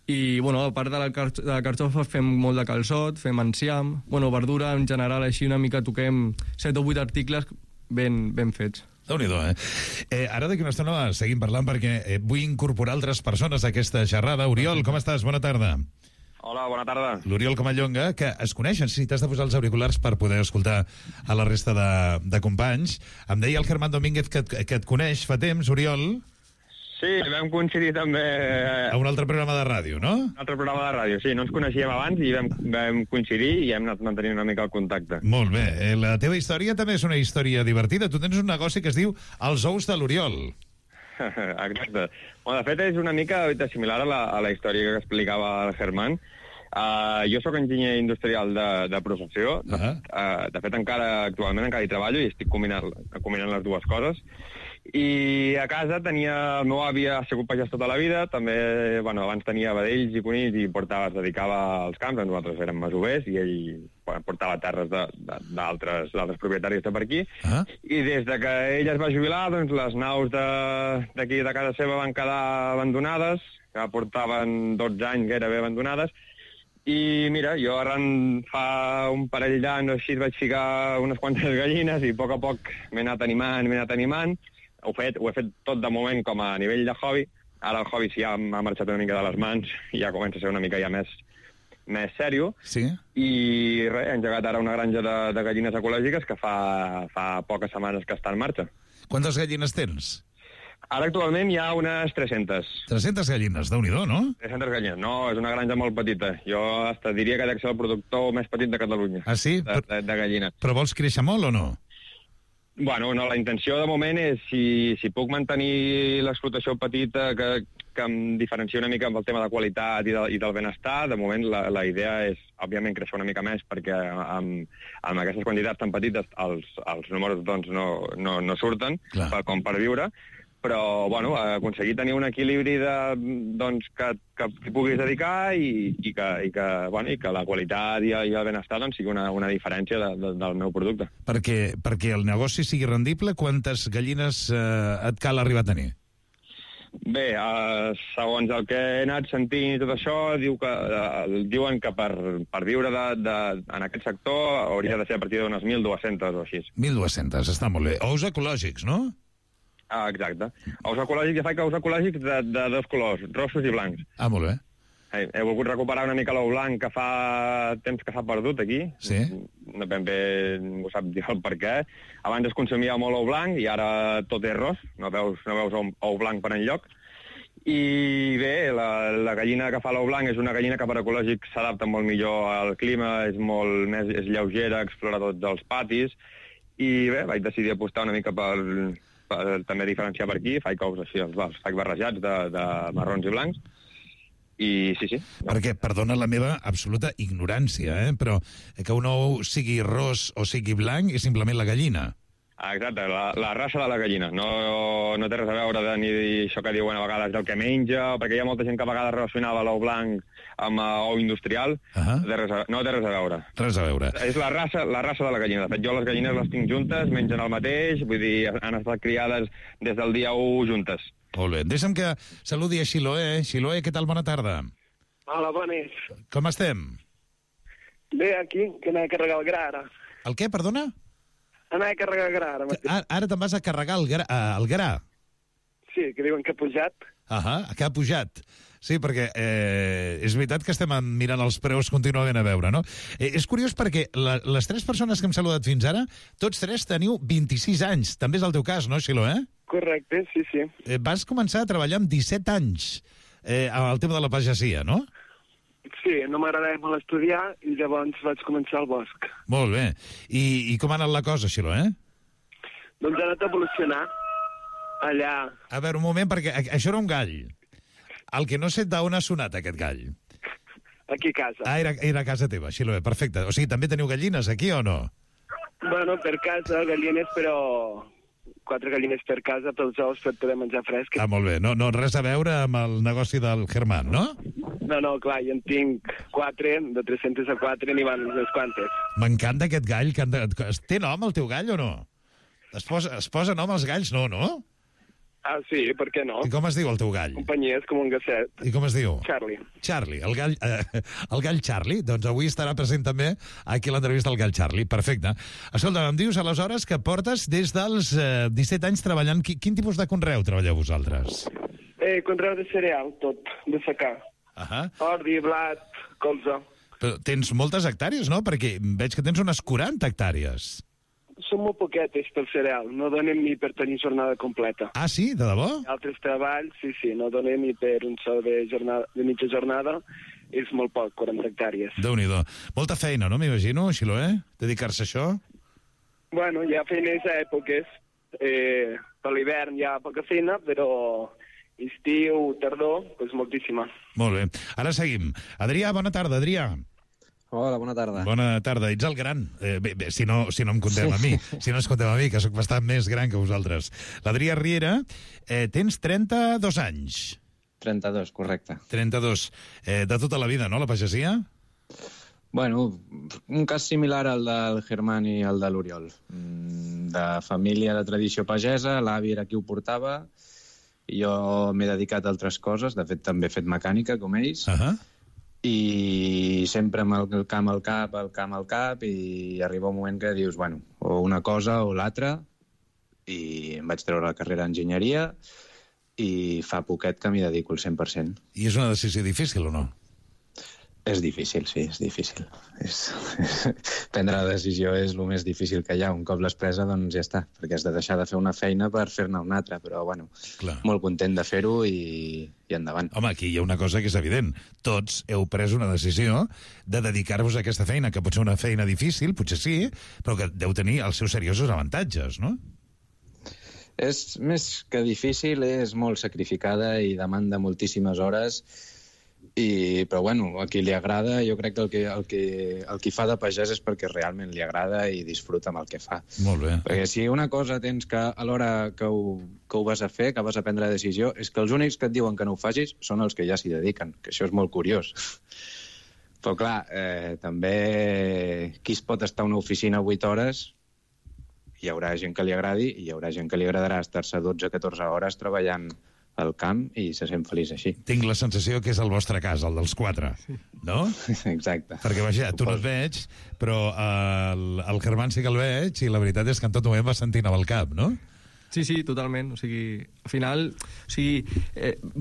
Speaker 19: i, bueno, a part de la carxofa fem molt de calçot, fem enciam, bueno, verdura en general, així una mica toquem 7 o 8 articles ben fets.
Speaker 13: Déu-n'hi-do, Ara d'aquí una estona seguim parlant perquè vull incorporar altres persones a aquesta xerrada. Oriol, com estàs? Bona tarda.
Speaker 20: Hola, bona tarda.
Speaker 13: L'Oriol Comallonga, que es coneixen, si t'has de posar els auriculars per poder escoltar a la resta de companys. Em deia el Germán Domínguez que et coneix fa temps, Oriol.
Speaker 20: Sí, vam coincidir també...
Speaker 13: A un altre programa de ràdio, no?
Speaker 20: Un altre programa de ràdio, sí. No ens coneixíem abans i vam coincidir i hem anat mantenint una mica el contacte.
Speaker 13: Molt bé. La teva història també és una història divertida. Tu tens un negoci que es diu Els Ous de l'Oriol.
Speaker 20: Exacte. Bueno, de fet, és una mica similar a la història que explicava el Germán. Jo sóc enginyer industrial de professió. De fet, actualment encara hi treballo i estic combinant les dues coses. I a casa el meu avi ha sigut pagès tota la vida, també, bueno, abans tenia vedells i conills i es dedicava als camps, nosaltres érem masovers i ell portava terres d'altres propietaris de per aquí, i des de que ell es va jubilar, doncs les naus d'aquí de casa seva van quedar abandonades, que portaven 12 anys gairebé abandonades, i mira, jo fa un parell d'anys així vaig ficar unes quantes gallines i a poc m'he anat animant. Ho he fet tot de moment com a nivell de hobby. Ara el hobby sí ja m'ha marxat una mica de les mans i ja comença a ser una mica ja més sèrio.
Speaker 13: Sí.
Speaker 20: I res, he engegat ara una granja de gallines ecològiques que fa poques setmanes que està en marxa.
Speaker 13: Quantes gallines tens?
Speaker 20: Ara actualment hi ha unes 300.
Speaker 13: 300 gallines, Déu-n'hi-do, no?
Speaker 20: 300 gallines. No, és una granja molt petita. Jo diria que dec ser el productor més petit de Catalunya.
Speaker 13: Ah, sí?
Speaker 20: De gallines.
Speaker 13: Però vols créixer molt o no?
Speaker 20: Bueno, no, la intenció de moment és si puc mantenir l'explotació petita que em diferencia una mica amb el tema de qualitat i del benestar, de moment la idea és, òbviament, créixer una mica més perquè amb aquestes quantitats tan petites els números doncs, no surten com per viure, però, bueno, aconseguir tenir un equilibri doncs, que t'hi puguis dedicar i que la qualitat i el benestar doncs, sigui una diferència del meu producte.
Speaker 13: Perquè el negoci sigui rendible, quantes gallines et cal arribar a tenir?
Speaker 20: Bé, segons el que he anat sentint i tot això, diuen que per viure en aquest sector hauria de ser a partir d'unes 1.200 o així.
Speaker 13: 1.200, està molt bé. Ous ecològics, no?
Speaker 20: Exacte. Ous ecològics, ja faig ous ecològics de dos colors, rossos i blancs.
Speaker 13: Molt bé.
Speaker 20: He volgut recuperar una mica l'ou blanc que fa temps que s'ha perdut aquí.
Speaker 13: Sí.
Speaker 20: No ben bé ningú sap dir el per què. Abans es consumia molt ou blanc i ara tot és ros, no veus ou blanc per enlloc. I bé, la gallina que fa l'ou blanc és una gallina que per ecològic s'adapta molt millor al clima, és lleugera, explora tots els patis, i bé, vaig decidir apostar una mica per també diferenciar per aquí, faig ous així, els faig barrejats de marrons i blancs, i sí.
Speaker 13: Perquè, perdona la meva absoluta ignorància, però que un ou sigui ros o sigui blanc és simplement la gallina.
Speaker 20: Exacte, la raça de la gallina. No té res a veure ni això que diuen a vegades del que menja, perquè hi ha molta gent que a vegades relacionava l'ou blanc amb ou industrial. No té res a veure.
Speaker 13: Res a veure.
Speaker 20: És la raça de la gallina. De fet, jo les gallines les tinc juntes, mengen el mateix, vull dir, han estat criades des del dia 1 juntes.
Speaker 13: Molt bé. Deixa'm que saludi a Xiloé. Xiloé, què tal? Bona tarda.
Speaker 21: Hola, bones.
Speaker 13: Com estem?
Speaker 21: Bé, aquí, que anava a carregar el gra, ara.
Speaker 13: El què, perdona?
Speaker 21: Anava a carregar el gra, ara.
Speaker 13: Ara te'n vas a carregar el gra?
Speaker 21: Sí, que diuen que ha pujat.
Speaker 13: Que ha pujat. Sí, perquè és veritat que estem mirant els preus contínuament a veure, no? És curiós perquè les tres persones que hem saludat fins ara, tots tres teniu 26 anys. També és el teu cas, no, Xiloé?
Speaker 21: Correcte, sí.
Speaker 13: Vas començar a treballar amb 17 anys al tema de la pagesia, no?
Speaker 21: Sí, no m'agradava molt estudiar i llavors vaig començar al bosc.
Speaker 13: Molt bé. I com ha anat la cosa, Xiloé?
Speaker 21: Doncs ha anat a evolucionar allà.
Speaker 13: A veure, un moment, perquè això era un gall. El que no sé d'on ha sonat aquest gall.
Speaker 21: Aquí a casa.
Speaker 13: Era a casa teva, Xiloé, perfecte. O sigui, també teniu gallines aquí o no?
Speaker 21: Bueno, per casa, gallines, però 4 gallines per casa, pels ous per poder menjar fresc.
Speaker 13: Molt bé. No, res a veure amb el negoci del Germán, no?
Speaker 21: No, clar, jo en tinc 4, de 300 a 4, n'hi van unes quantes.
Speaker 13: M'encanta aquest gall. Té nom el teu gall o no? Es posa nom als galls? No?
Speaker 21: Ah, sí, per què no?
Speaker 13: I com es diu el teu gall?
Speaker 21: Companyia, és com un gasset.
Speaker 13: I com es diu?
Speaker 21: Charlie,
Speaker 13: el gall Charlie. Doncs avui estarà present també aquí l'entrevista al gall Charlie. Perfecte. Escolta, em dius aleshores que portes des dels 17 anys treballant. Quin tipus de conreu treballeu vosaltres?
Speaker 21: Conreu de cereal, tot, de secà. Ordi, blat, colza.
Speaker 13: Però tens moltes hectàrees, no? Perquè veig que tens unes 40 hectàrees.
Speaker 21: Són molt poquetes pel cereal, no donem ni per tenir jornada completa.
Speaker 13: Ah, sí? De debò?
Speaker 21: Altres treballs, sí, no donem ni per un sou de mitja jornada, és molt poc, 40 hectàrees.
Speaker 13: Déu-n'hi-do. Molta feina, no, m'imagino, Xiloé? Dedicar-se a això?
Speaker 21: Bueno, hi ha feines a èpoques. Per l'hivern hi ha poca feina, però estiu, tardor, doncs moltíssima.
Speaker 13: Molt bé. Ara seguim. Adrià, bona tarda, Adrià.
Speaker 22: Hola, bona tarda.
Speaker 13: Bona tarda. Ets el gran. Bé, si no em comptem a mi. Si no ens comptem a mi, que sóc bastant més gran que vosaltres. L'Adrià Riera, tens 32 anys.
Speaker 22: 32, correcte.
Speaker 13: 32. De tota la vida, no, la pagesia?
Speaker 22: Bueno, un cas similar al del Germán i al de l'Oriol. De família de tradició pagesa, l'avi era qui ho portava, i jo m'he dedicat a altres coses, de fet també he fet mecànica, com ells, i sempre amb el camp al cap, i arriba un moment que dius, bueno, o una cosa o l'altra, i em vaig treure la carrera d'enginyeria, i fa poquet que m'hi dedico al 100%.
Speaker 13: I és una decisió difícil o no?
Speaker 22: És difícil, sí, és difícil. Prendre la decisió és el més difícil que hi ha. Un cop l'has presa, doncs ja està, perquè has de deixar de fer una feina per fer-ne una altra, però bueno, molt content de fer-ho i endavant.
Speaker 13: Home, aquí hi ha una cosa que és evident. Tots heu pres una decisió de dedicar-vos a aquesta feina, que pot ser una feina difícil, potser sí, però que deu tenir els seus seriosos avantatges, no?
Speaker 22: És més que difícil, és molt sacrificada i demanda moltíssimes hores, Però bueno, a qui li agrada, jo crec que el qui fa de pagès és perquè realment li agrada i disfruta amb el que fa.
Speaker 13: Molt bé.
Speaker 22: Perquè si una cosa tens que a l'hora que ho vas a fer, que vas a prendre la decisió, és que els únics que et diuen que no ho facis són els que ja s'hi dediquen, que això és molt curiós. Però clar, també qui es pot estar a una oficina 8 hores, hi haurà gent que li agradi i hi haurà gent que li agradarà estar-se 12-14 hores treballant al camp i se sent feliç així.
Speaker 13: Tinc la sensació que és el vostre cas, el dels 4, no?
Speaker 22: Exacte.
Speaker 13: Perquè, vaja, tu no et veig, però el Germán sí que el veig i la veritat és que en tot moment va sentint amb el cap, no?
Speaker 19: Sí, totalment. O sigui, al final,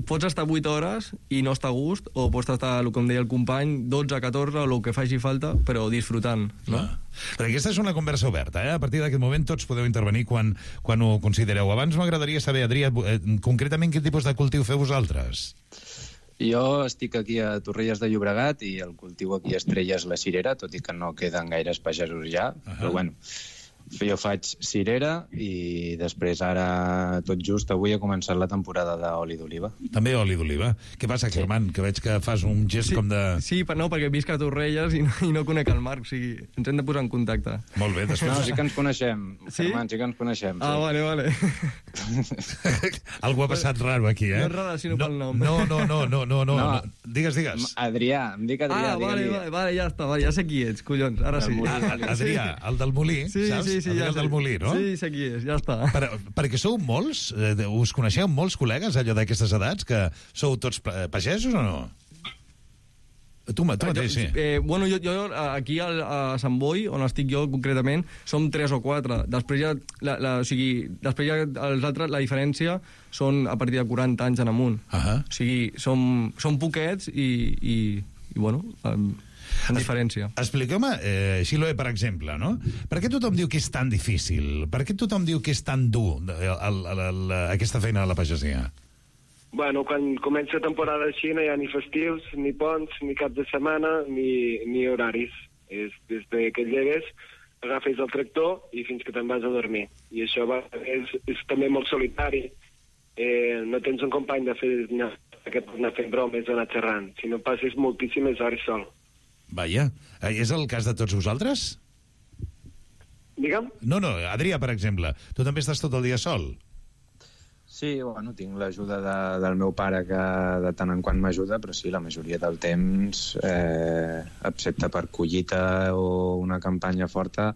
Speaker 19: pots estar 8 hores i no estar a gust, o pots estar, com deia el company, 12-14, o el que faci falta, però disfrutant, no?
Speaker 13: Perquè aquesta és una conversa oberta, A partir d'aquest moment tots podeu intervenir quan ho considereu. Abans m'agradaria saber, Adrià, concretament quin tipus de cultiu feu vosaltres?
Speaker 22: Jo estic aquí a Torrelles de Llobregat i el cultiu aquí a Estrella és la cirera, tot i que no queden gaires pagesos ja, però bueno, jo faig cirera i després ara, tot just avui, he començat la temporada d'oli d'oliva.
Speaker 13: També oli d'oliva. Què passa, Germán? Que veig que fas un gest com de...
Speaker 19: Sí, no, perquè visc a Torrelles i no conec el Marc, o sigui, ens hem de posar en contacte.
Speaker 13: Molt bé, després...
Speaker 22: No, sí que ens coneixem,
Speaker 19: sí?
Speaker 22: Germán, sí que ens coneixem.
Speaker 19: Ah,
Speaker 22: sí.
Speaker 19: vale.
Speaker 13: Algú ha passat raro aquí,
Speaker 19: No és relació pel nom.
Speaker 13: No. Digues.
Speaker 22: Adrià, em dic Adrià.
Speaker 19: Vale, ja està, ja sé qui ets, collons, ara sí.
Speaker 13: Adrià, el del Molí, saps?
Speaker 19: Sí,
Speaker 13: el del Molí, no?
Speaker 19: Sí, sé qui és, ja està.
Speaker 13: Perquè sou molts, us coneixeu molts col·legues, allò d'aquestes edats, que sou tots pagesos o no? Tu mateix, sí.
Speaker 19: Bueno, jo aquí a Sant Boi, on estic jo concretament, som 3 o 4. Després ja, després ja els altres, la diferència són a partir de 40 anys en amunt. O sigui, som poquets i bueno... en diferència.
Speaker 13: Expliqueu-me, Xiloé, per exemple, no? Per què tothom diu que és tan difícil? Per què tothom diu que és tan dur aquesta feina de la pagesia?
Speaker 21: Bueno, quan comença temporada així no hi ha ni festius, ni ponts, ni cap de setmana, ni horaris. És des que llegues, agafes el tractor i fins que te'n vas a dormir. I això és també molt solitari. No tens un company de fer que pot anar fent bromes o anar xerrant, sinó passes moltíssimes hores sol.
Speaker 13: Vaja, és el cas de tots vosaltres?
Speaker 21: Digue'm?
Speaker 13: No, Adrià, per exemple, tu també estàs tot el dia sol?
Speaker 22: Sí, bueno, tinc l'ajuda del meu pare que de tant en quant m'ajuda, però sí, la majoria del temps, excepte per collita o una campanya forta,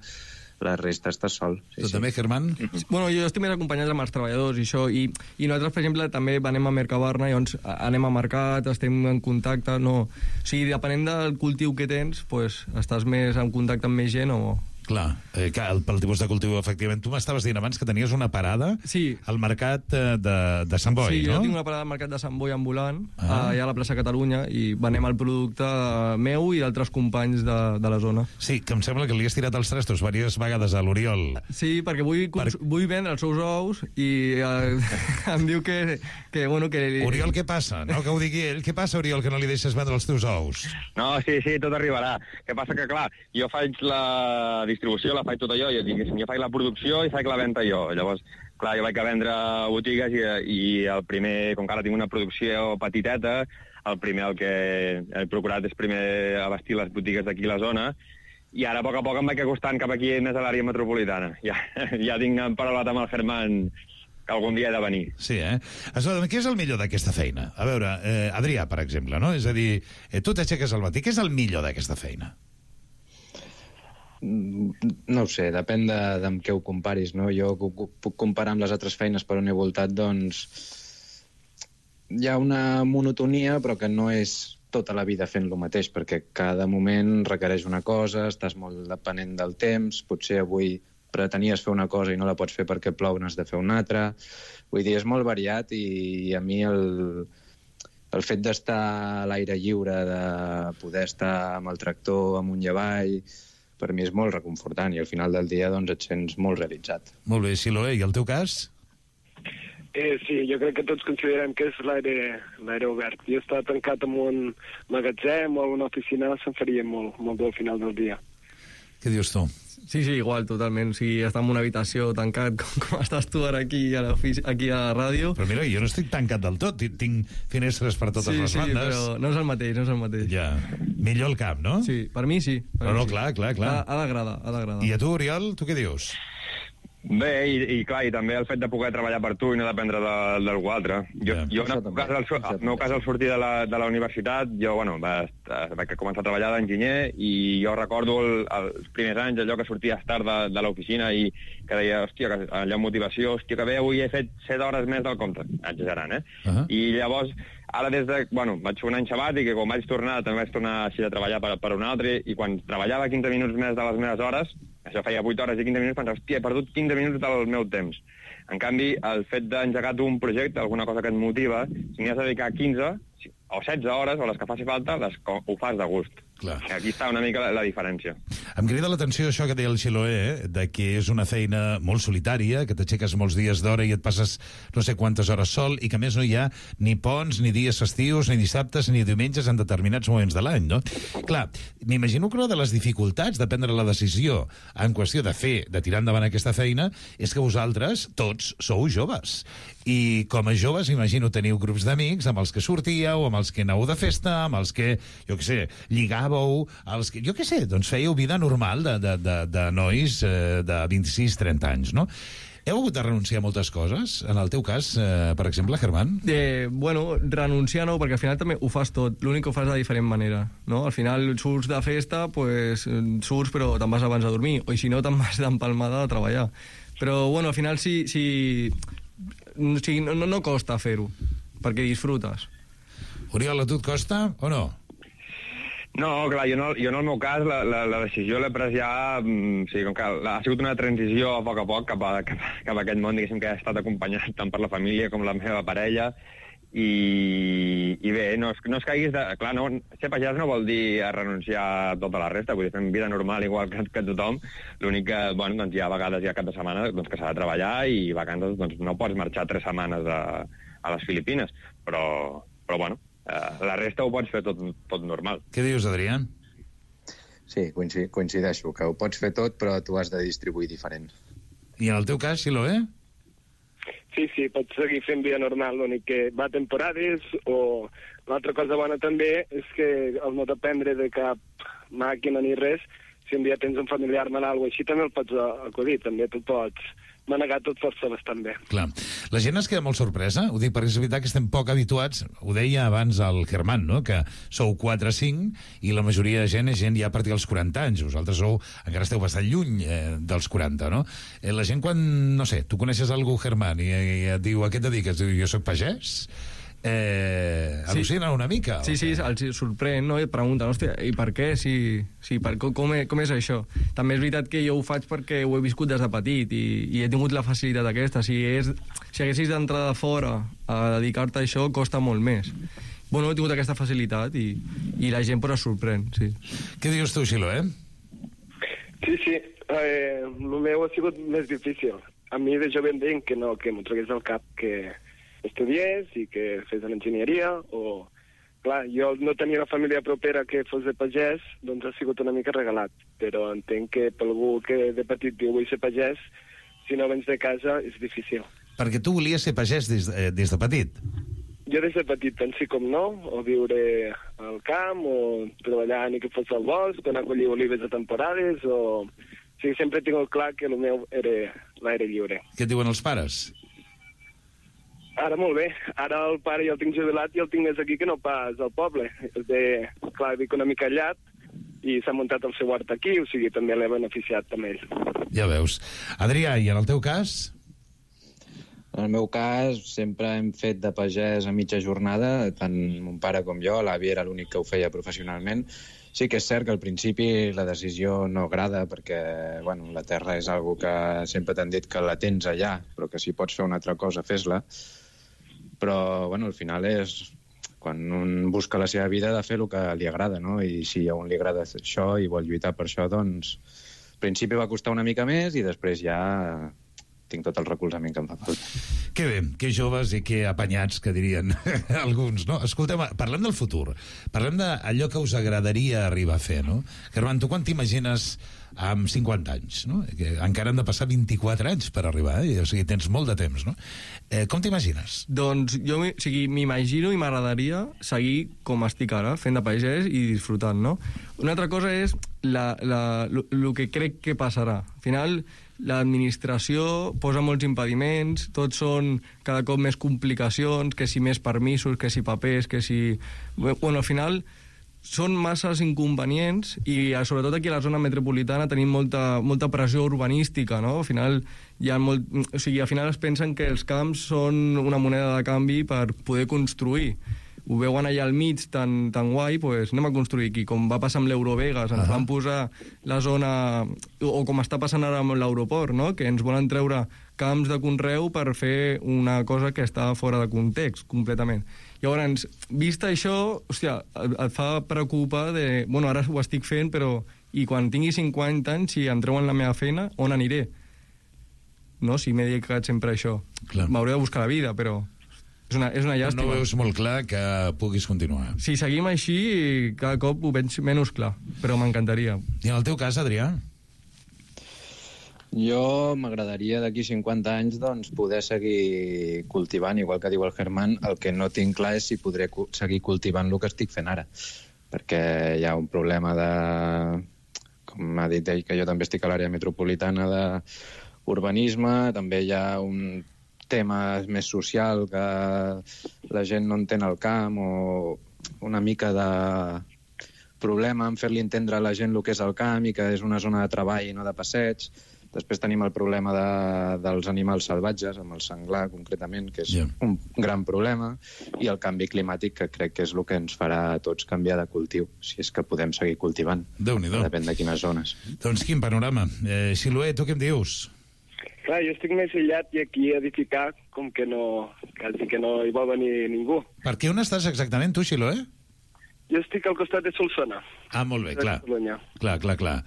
Speaker 22: la resta està sol.
Speaker 13: Tu també, Germán?
Speaker 19: Bueno, jo estic més acompanyat amb els treballadors i això, i nosaltres, per exemple, també anem a Mercabarna, llavors anem a mercat, estem en contacte, no... O sigui, depenent del cultiu que tens, pues, estàs més en contacte amb més gent o...
Speaker 13: Clar, pel tipus de cultiu, efectivament. Tu m'estaves dient abans que tenies una parada al mercat de Sant Boi, no?
Speaker 19: Sí, jo tinc una parada al mercat de Sant Boi ambulant, allà a la plaça Catalunya, i venem el producte meu i d'altres companys de la zona.
Speaker 13: Sí, que em sembla que li has tirat els trastos diverses vegades a l'Oriol.
Speaker 19: Sí, perquè vull vendre els seus ous i em diu que...
Speaker 13: Oriol, què passa? No, que ho digui ell. Què passa, Oriol, que no li deixes vendre els teus ous?
Speaker 20: No, sí, tot arribarà. Què passa que, clar, jo faig la distribució, la faig tota jo faig la producció i faig la venda jo. Llavors, clar, jo vaig a vendre a botigues i el primer, com que ara tinc una producció petiteta, el primer el que he procurat és primer abastir les botigues d'aquí a la zona, i ara a poc em vaig acostant cap aquí més a l'àrea metropolitana. Ja tinc paraulat amb el Germán que algun dia he de venir.
Speaker 13: Sí, Escolta, què és el millor d'aquesta feina? A veure, Adrià, per exemple, no? És a dir, tu t'aixeques al matí, què és el millor d'aquesta feina?
Speaker 22: No ho sé, depèn amb què ho comparis, no? Jo puc comparar amb les altres feines per on he voltat, doncs hi ha una monotonia, però que no és tota la vida fent lo mateix, perquè cada moment requereix una cosa, estàs molt depenent del temps, potser avui pretenies fer una cosa i no la pots fer perquè plou, n'has de fer una altra. Vull dir, és molt variat i a mi el fet d'estar a l'aire lliure, de poder estar amb el tractor amunt i avall, per mi és molt reconfortant i al final del dia doncs et sents molt realitzat.
Speaker 13: Molt bé, Xiloé, i el teu cas?
Speaker 21: Sí, jo crec que tots considerem que és l'aire obert. Jo estar tancat en un magatzem o en una oficina se'm faria molt dur al final del dia.
Speaker 13: Què dius tu?
Speaker 19: Sí, igual, totalment. O sigui, estar en una habitació tancat com estàs tu ara aquí a la ràdio.
Speaker 13: Però mira, jo no estic tancat del tot. Tinc finestres per totes les bandes.
Speaker 19: Sí, però no és el mateix,
Speaker 13: Ja. Millor el camp, no?
Speaker 19: Sí, per mi sí.
Speaker 13: No, clar.
Speaker 19: Ha d'agradar.
Speaker 13: I a tu, Oriol, tu què dius?
Speaker 20: Bé, i clar, i també el fet de poder treballar per tu i no dependre d'algú altre. Jo en el meu cas, al sortir de la universitat, jo, vaig començar a treballar d'enginyer i jo recordo els primers anys, allò que sorties tard de l'oficina i que deia, hòstia, allò motivació, hòstia, que bé, avui he fet 7 hores més del compte, exagerant, I llavors, ara vaig fer un any sabàtic i quan vaig tornar, també vaig tornar així a treballar per un altre i quan treballava 15 minuts més de les meves hores, això feia 8 hores i 15 minuts, pensava, hòstia, he perdut 15 minuts del meu temps. En canvi, el fet d'engegar tu un projecte, alguna cosa que et motiva, si n'hi has de dedicar 15 o 16 hores, o les que faci falta, ho fas de gust.
Speaker 13: Clar.
Speaker 20: Aquí està una mica la diferència.
Speaker 13: Em crida l'atenció això que deia el Xiloé, de que és una feina molt solitària, que t'aixeques molts dies d'hora i et passes no sé quantes hores sol, i que a més no hi ha ni ponts, ni dies festius, ni dissabtes, ni diumenges en determinats moments de l'any, no? Clar, m'imagino que una de les dificultats de prendre la decisió en qüestió de tirar endavant aquesta feina, és que vosaltres, tots, sou joves. I com a joves, imagino, teniu grups d'amics amb els que sortíeu, amb els que aneu de festa, amb els que, jo què sé, lligàveu, jo què sé, doncs fèieu vida normal de nois de 26-30 anys, no? Heu hagut de renunciar a moltes coses? En el teu cas, per exemple, Germán?
Speaker 19: Renunciar no, perquè al final també ho fas tot. L'únic que ho fas de diferent manera, no? Al final surts de festa, surts però te'n vas abans a dormir, o si no te'n vas d'empalmada a treballar. Però, al final no costa fer-ho, perquè disfrutes.
Speaker 13: Oriol, a tu et costa o no?
Speaker 20: No, clar, jo en el meu cas la decisió l'he pres ja, com que ha sigut una transició a poc cap a aquest món, diguéssim, que ha estat acompanyat tant per la família com la meva parella, i bé, no es caiguis de... Clar, ser pagès no vol dir renunciar a tota la resta, vull dir, fem vida normal igual que tothom, l'únic que, doncs hi ha vegades, hi ha cap de setmana que s'ha de treballar i vacances, doncs no pots marxar 3 setmanes a les Filipines, però la resta ho pots fer tot normal.
Speaker 13: Què dius, Adrià?
Speaker 22: Sí, coincideixo, que ho pots fer tot, però tu has de distribuir diferent.
Speaker 13: I en el teu cas, Xiloé?
Speaker 21: Sí, pots seguir fent vida normal, l'únic que va a temporades, o l'altra cosa bona també és que el no dependre de cap màquina ni res, si un dia tens un familiar malalt o així, també el pots acudir, també tu pots manegar tot força bastant bé.
Speaker 13: Clar. La gent es queda molt sorpresa, ho dic perquè és veritat que estem poc habituats, ho deia abans el Germán, no? Que sou 4 o 5 i la majoria de gent és gent ja a partir dels 40 anys, vosaltres encara esteu bastant lluny dels 40, no? La gent quan, no sé, tu coneixes algú, Germán, i et diu a què et dediques? Diu, jo soc pagès? Al·lucinen una mica?
Speaker 19: Sí, els sorprèn, no? I et pregunten, hòstia, i per què? Com és això? També és veritat que jo ho faig perquè ho he viscut des de petit i he tingut la facilitat aquesta. Si haguessis d'entrar de fora a dedicar-te a això, costa molt més. He tingut aquesta facilitat i la gent es sorprèn, sí.
Speaker 13: Què dius tu, Xiloé?
Speaker 21: Sí, el meu ha sigut més difícil. A mi de jove em deien que no, que m'ho tragués al cap que estudiés i que fes l'enginyeria, o... Clar, jo no tenia una família propera que fos de pagès, doncs ha sigut una mica regalat, però entenc que per algú que de petit diu vull ser pagès, si no vens de casa és difícil.
Speaker 13: Perquè tu volies ser pagès des de petit?
Speaker 21: Jo des de petit, tant sí com no, o viure al camp, o treballar ni que fos al bosc, o anar a collir olives a temporades, o... O sigui, sempre he tingut clar que el meu era l'aire lliure.
Speaker 13: Què et diuen els pares?
Speaker 21: Ara molt bé. Ara el pare ja el tinc jubilat i el tinc més aquí que no pas al poble. Clar, dic una mica allat i s'ha muntat el seu hort aquí, o sigui, també l'he beneficiat també ell.
Speaker 13: Ja veus. Adrià, i en el teu cas?
Speaker 22: En el meu cas, sempre hem fet de pagès a mitja jornada, tant mon pare com jo, l'avi era l'únic que ho feia professionalment. Sí que és cert que al principi la decisió no agrada perquè la terra és algo que sempre t'han dit que la tens allà, però que si pots fer una altra cosa, fes-la. Però al final és quan un busca la seva vida de fer el que li agrada, no? I si a un li agrada això i vol lluitar per això, doncs al principi va costar una mica més i després ja tinc tot el recolzament que em fa falta.
Speaker 13: Que bé, que joves i que apanyats, que dirien alguns, no? Escolteu, parlem del futur, parlem d'allò que us agradaria arribar a fer, no? Germán, tu quan t'imagines amb 50 anys, no? Que encara han de passar 24 anys per arribar, o sigui, tens molt de temps, no? Com t'imagines?
Speaker 19: Doncs jo m'imagino i m'agradaria seguir com estic ara, fent de pagès i disfrutant, no? Una altra cosa és el que crec que passarà. Al final, l'administració posa molts impediments, tots són cada cop més complicacions, que si més permisos, que si papers, que si... Bueno, al final són masses inconvenients i sobretot aquí a la zona metropolitana tenim molta pressió urbanística, no? Al final al final es pensen que els camps són una moneda de canvi per poder construir. Ho veuen allà al mig tan guai, doncs anem a construir aquí, com va passar amb l'Eurovegas, ens van posar la zona, o com està passant ara amb l'aeroport, no? Que ens volen treure camps de conreu per fer una cosa que està fora de context, completament. Llavors, vist això, hòstia, et fa preocupar de... Bueno, ara ho estic fent, però... I quan tingui 50 anys, si em treuen la meva feina, on aniré? No? Si m'he dedicat sempre a això. M'hauré de buscar la vida, però... És una llàstima.
Speaker 13: No veus molt clar que puguis continuar.
Speaker 19: Si seguim així, cada cop ho veig menys clar, però m'encantaria.
Speaker 13: I en el teu cas, Adrià?
Speaker 22: Jo m'agradaria d'aquí 50 anys doncs, poder seguir cultivant, igual que diu el Germán. El que no tinc clar és si podré seguir cultivant el que estic fent ara, perquè hi ha un problema de... Com m'ha dit ell, que jo també estic a l'àrea metropolitana d'urbanisme, també hi ha un tema més social, que la gent no entén el camp, o una mica de problema en fer-li entendre a la gent el que és el camp i que és una zona de treball i no de passeig. Després tenim el problema dels animals salvatges, amb el senglar concretament, que és un gran problema, i el canvi climàtic, que crec que és el que ens farà a tots canviar de cultiu, si és que podem seguir cultivant.
Speaker 13: Déu-n'hi-do.
Speaker 22: Depèn de quines zones.
Speaker 13: Doncs quin panorama. Siloé, tu què em dius?
Speaker 21: Clar, jo estic més aïllat i aquí edificar com que no, quasi que no hi vol venir ningú.
Speaker 13: Per què on estàs exactament, tu, Siloé?
Speaker 21: Jo estic al costat de Solsona.
Speaker 13: Ah, molt bé, clar. Clar.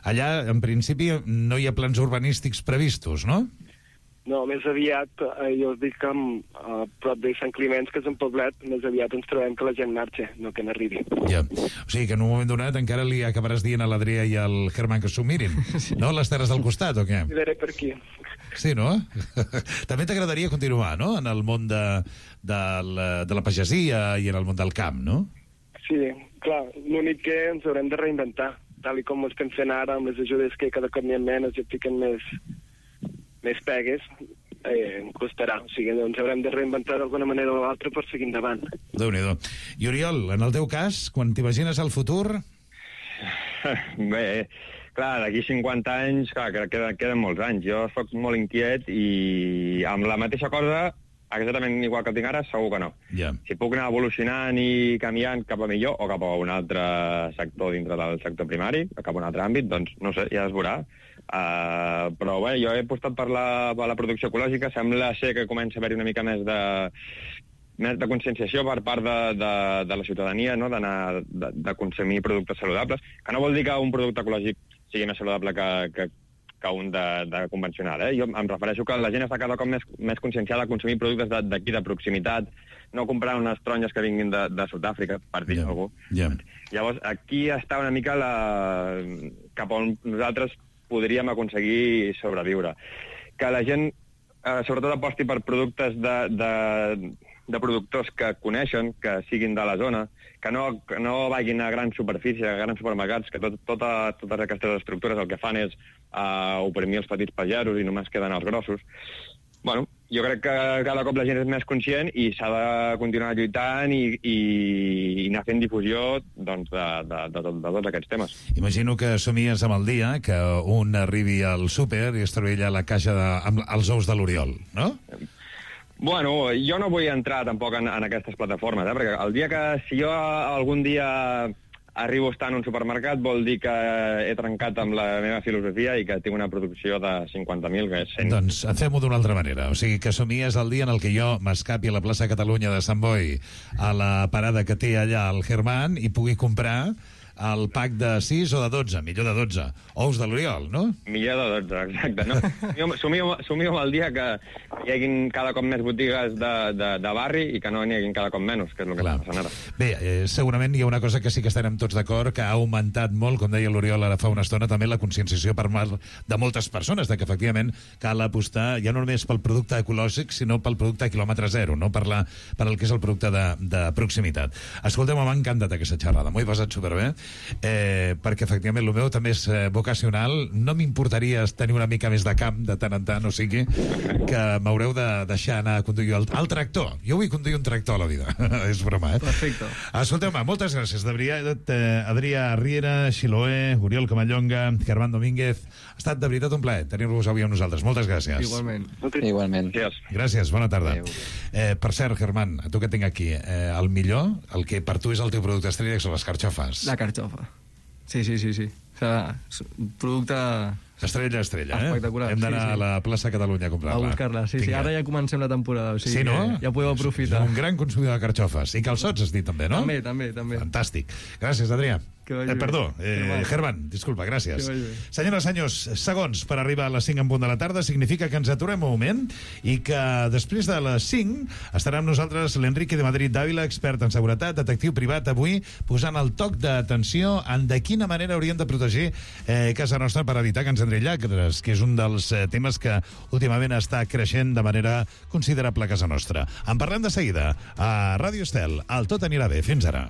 Speaker 13: Allà, en principi, no hi ha plans urbanístics previstos, no?
Speaker 21: No, més aviat, jo us dic que a prop de Sant Climenç, que és un poblet, més aviat ens trobem que la gent marxa, no que n'arribi.
Speaker 13: Ja. O sigui que en un moment donat encara li acabaràs dient a l'Adrià i al Germán que s'ho mirin, no? Les terres del costat, o què?
Speaker 21: Miraré per aquí.
Speaker 13: Sí, no? També t'agradaria continuar, no?, en el món de la pagesia i en el món del camp, no?
Speaker 21: Sí, clar, l'únic que ens haurem de reinventar, tal i com ho estem fent ara, amb les ajudes que cada cop n'hi ha menys i fiquen més pegues, em costarà. O sigui, ens haurem de reinventar d'alguna manera o l'altra per seguir endavant.
Speaker 13: Déu-n'hi-do. I Oriol, en el teu cas, quan t'imagines el futur?
Speaker 20: Bé, clar, d'aquí 50 anys, clar, queden molts anys. Jo soc molt inquiet i amb la mateixa cosa, exactament igual que el tinc ara, segur que no.
Speaker 13: Yeah.
Speaker 20: Si puc anar evolucionant i canviant cap a millor o cap a un altre sector dintre del sector primari, cap a un altre àmbit, doncs no sé, ja es veurà. Però bé, jo he apostat per la producció ecològica. Sembla ser que comença a haver-hi una mica més de conscienciació per part de la ciutadania, no? de consumir productes saludables, que no vol dir que un producte ecològic sigui més saludable que un de convencional. Jo em refereixo que la gent està cada cop més conscienciada a consumir productes d'aquí, de proximitat, no comprar unes taronges que vinguin de Sud-àfrica, per dir algú. Llavors, aquí està una mica cap on nosaltres podríem aconseguir sobreviure. Que la gent, sobretot, aposti per productes de productors que coneixen, que siguin de la zona, que no vagin a grans superfícies, a grans supermercats, que totes aquestes estructures el que fan és oprimir els petits pagesos i només queden els grossos. Bueno, jo crec que cada cop la gent és més conscient i s'ha de continuar lluitant i anar fent difusió doncs, de tots aquests temes.
Speaker 13: Imagino que somies amb el dia que un arribi al súper i es trobi allà la caixa amb els ous de l'Oriol, no?
Speaker 20: Bueno, jo no vull entrar tampoc en aquestes plataformes, perquè el dia que, si jo algun dia arribo a estar en un supermercat, vol dir que he trencat amb la meva filosofia i que tinc una producció de 50.000, que és 100.
Speaker 13: Doncs fem-ho d'una altra manera. O sigui, que somies el dia en el que jo m'escapi a la plaça Catalunya de Sant Boi, a la parada que té allà el Germán, i pugui comprar el pack de 6 o de 12, millor de 12. Ous de l'Oriol, no?
Speaker 20: Millor de 12, exacte. No? Somio amb el dia que hi haguin cada cop més botigues de barri i que no n'hi haguin cada cop menys, que és el que està passant ara.
Speaker 13: Bé, segurament hi ha una cosa que sí que estarem tots d'acord, que ha augmentat molt, com deia l'Oriol ara fa una estona, també la conscienciació per part de moltes persones, de que efectivament cal apostar ja no només pel producte ecològic, sinó pel producte a quilòmetre zero, no per el que és el producte de proximitat. Escolteu, m'ha encantat aquesta xerrada, m'ho he passat superbé, perquè efectivament el meu també és vocacional. No m'importaria tenir una mica més de camp de tant en tant, o sigui que m'haureu de deixar anar a conduir el tractor. Jo vull conduir un tractor a la vida. És broma,
Speaker 19: Perfecte.
Speaker 13: Escolteu-me, moltes gràcies, de veritat, Adrià Riera, Xiloé, Oriol Camallonga, Germán Domínguez. Ha estat de veritat un plaer tenir-vos avui amb nosaltres. Moltes gràcies.
Speaker 19: Igualment.
Speaker 13: Gràcies, bona tarda. Per cert, Germán, a tu que tinc aquí, el millor, el que per tu és el teu producte estrella, són les carxofes.
Speaker 19: La carxofa. Sí. O sigui, producte...
Speaker 13: Estrella,
Speaker 19: espectacular.
Speaker 13: Hem d'anar a la plaça Catalunya a comprar-la.
Speaker 19: A buscar-la, sí. Ara ja comencem la temporada. O sigui,
Speaker 13: sí, no?
Speaker 19: Ja podeu aprofitar.
Speaker 13: Un gran consumidor de carxofes. I calçots, has dit també, no?
Speaker 19: També.
Speaker 13: Fantàstic. Gràcies, Adrià. Germán, disculpa, gràcies. Senyores, senyors, segons per arribar a les 5 en punt de la tarda significa que ens aturem un moment i que després de les 5 estarà amb nosaltres l'Enrique de Madrid Dávila, expert en seguretat, detectiu privat, avui posant el toc d'atenció en de quina manera hauríem de protegir casa nostra per evitar que ens entri llacres, que és un dels temes que últimament està creixent de manera considerable a casa nostra. En parlem de seguida a Ràdio Estel. El Tot anirà bé. Fins ara.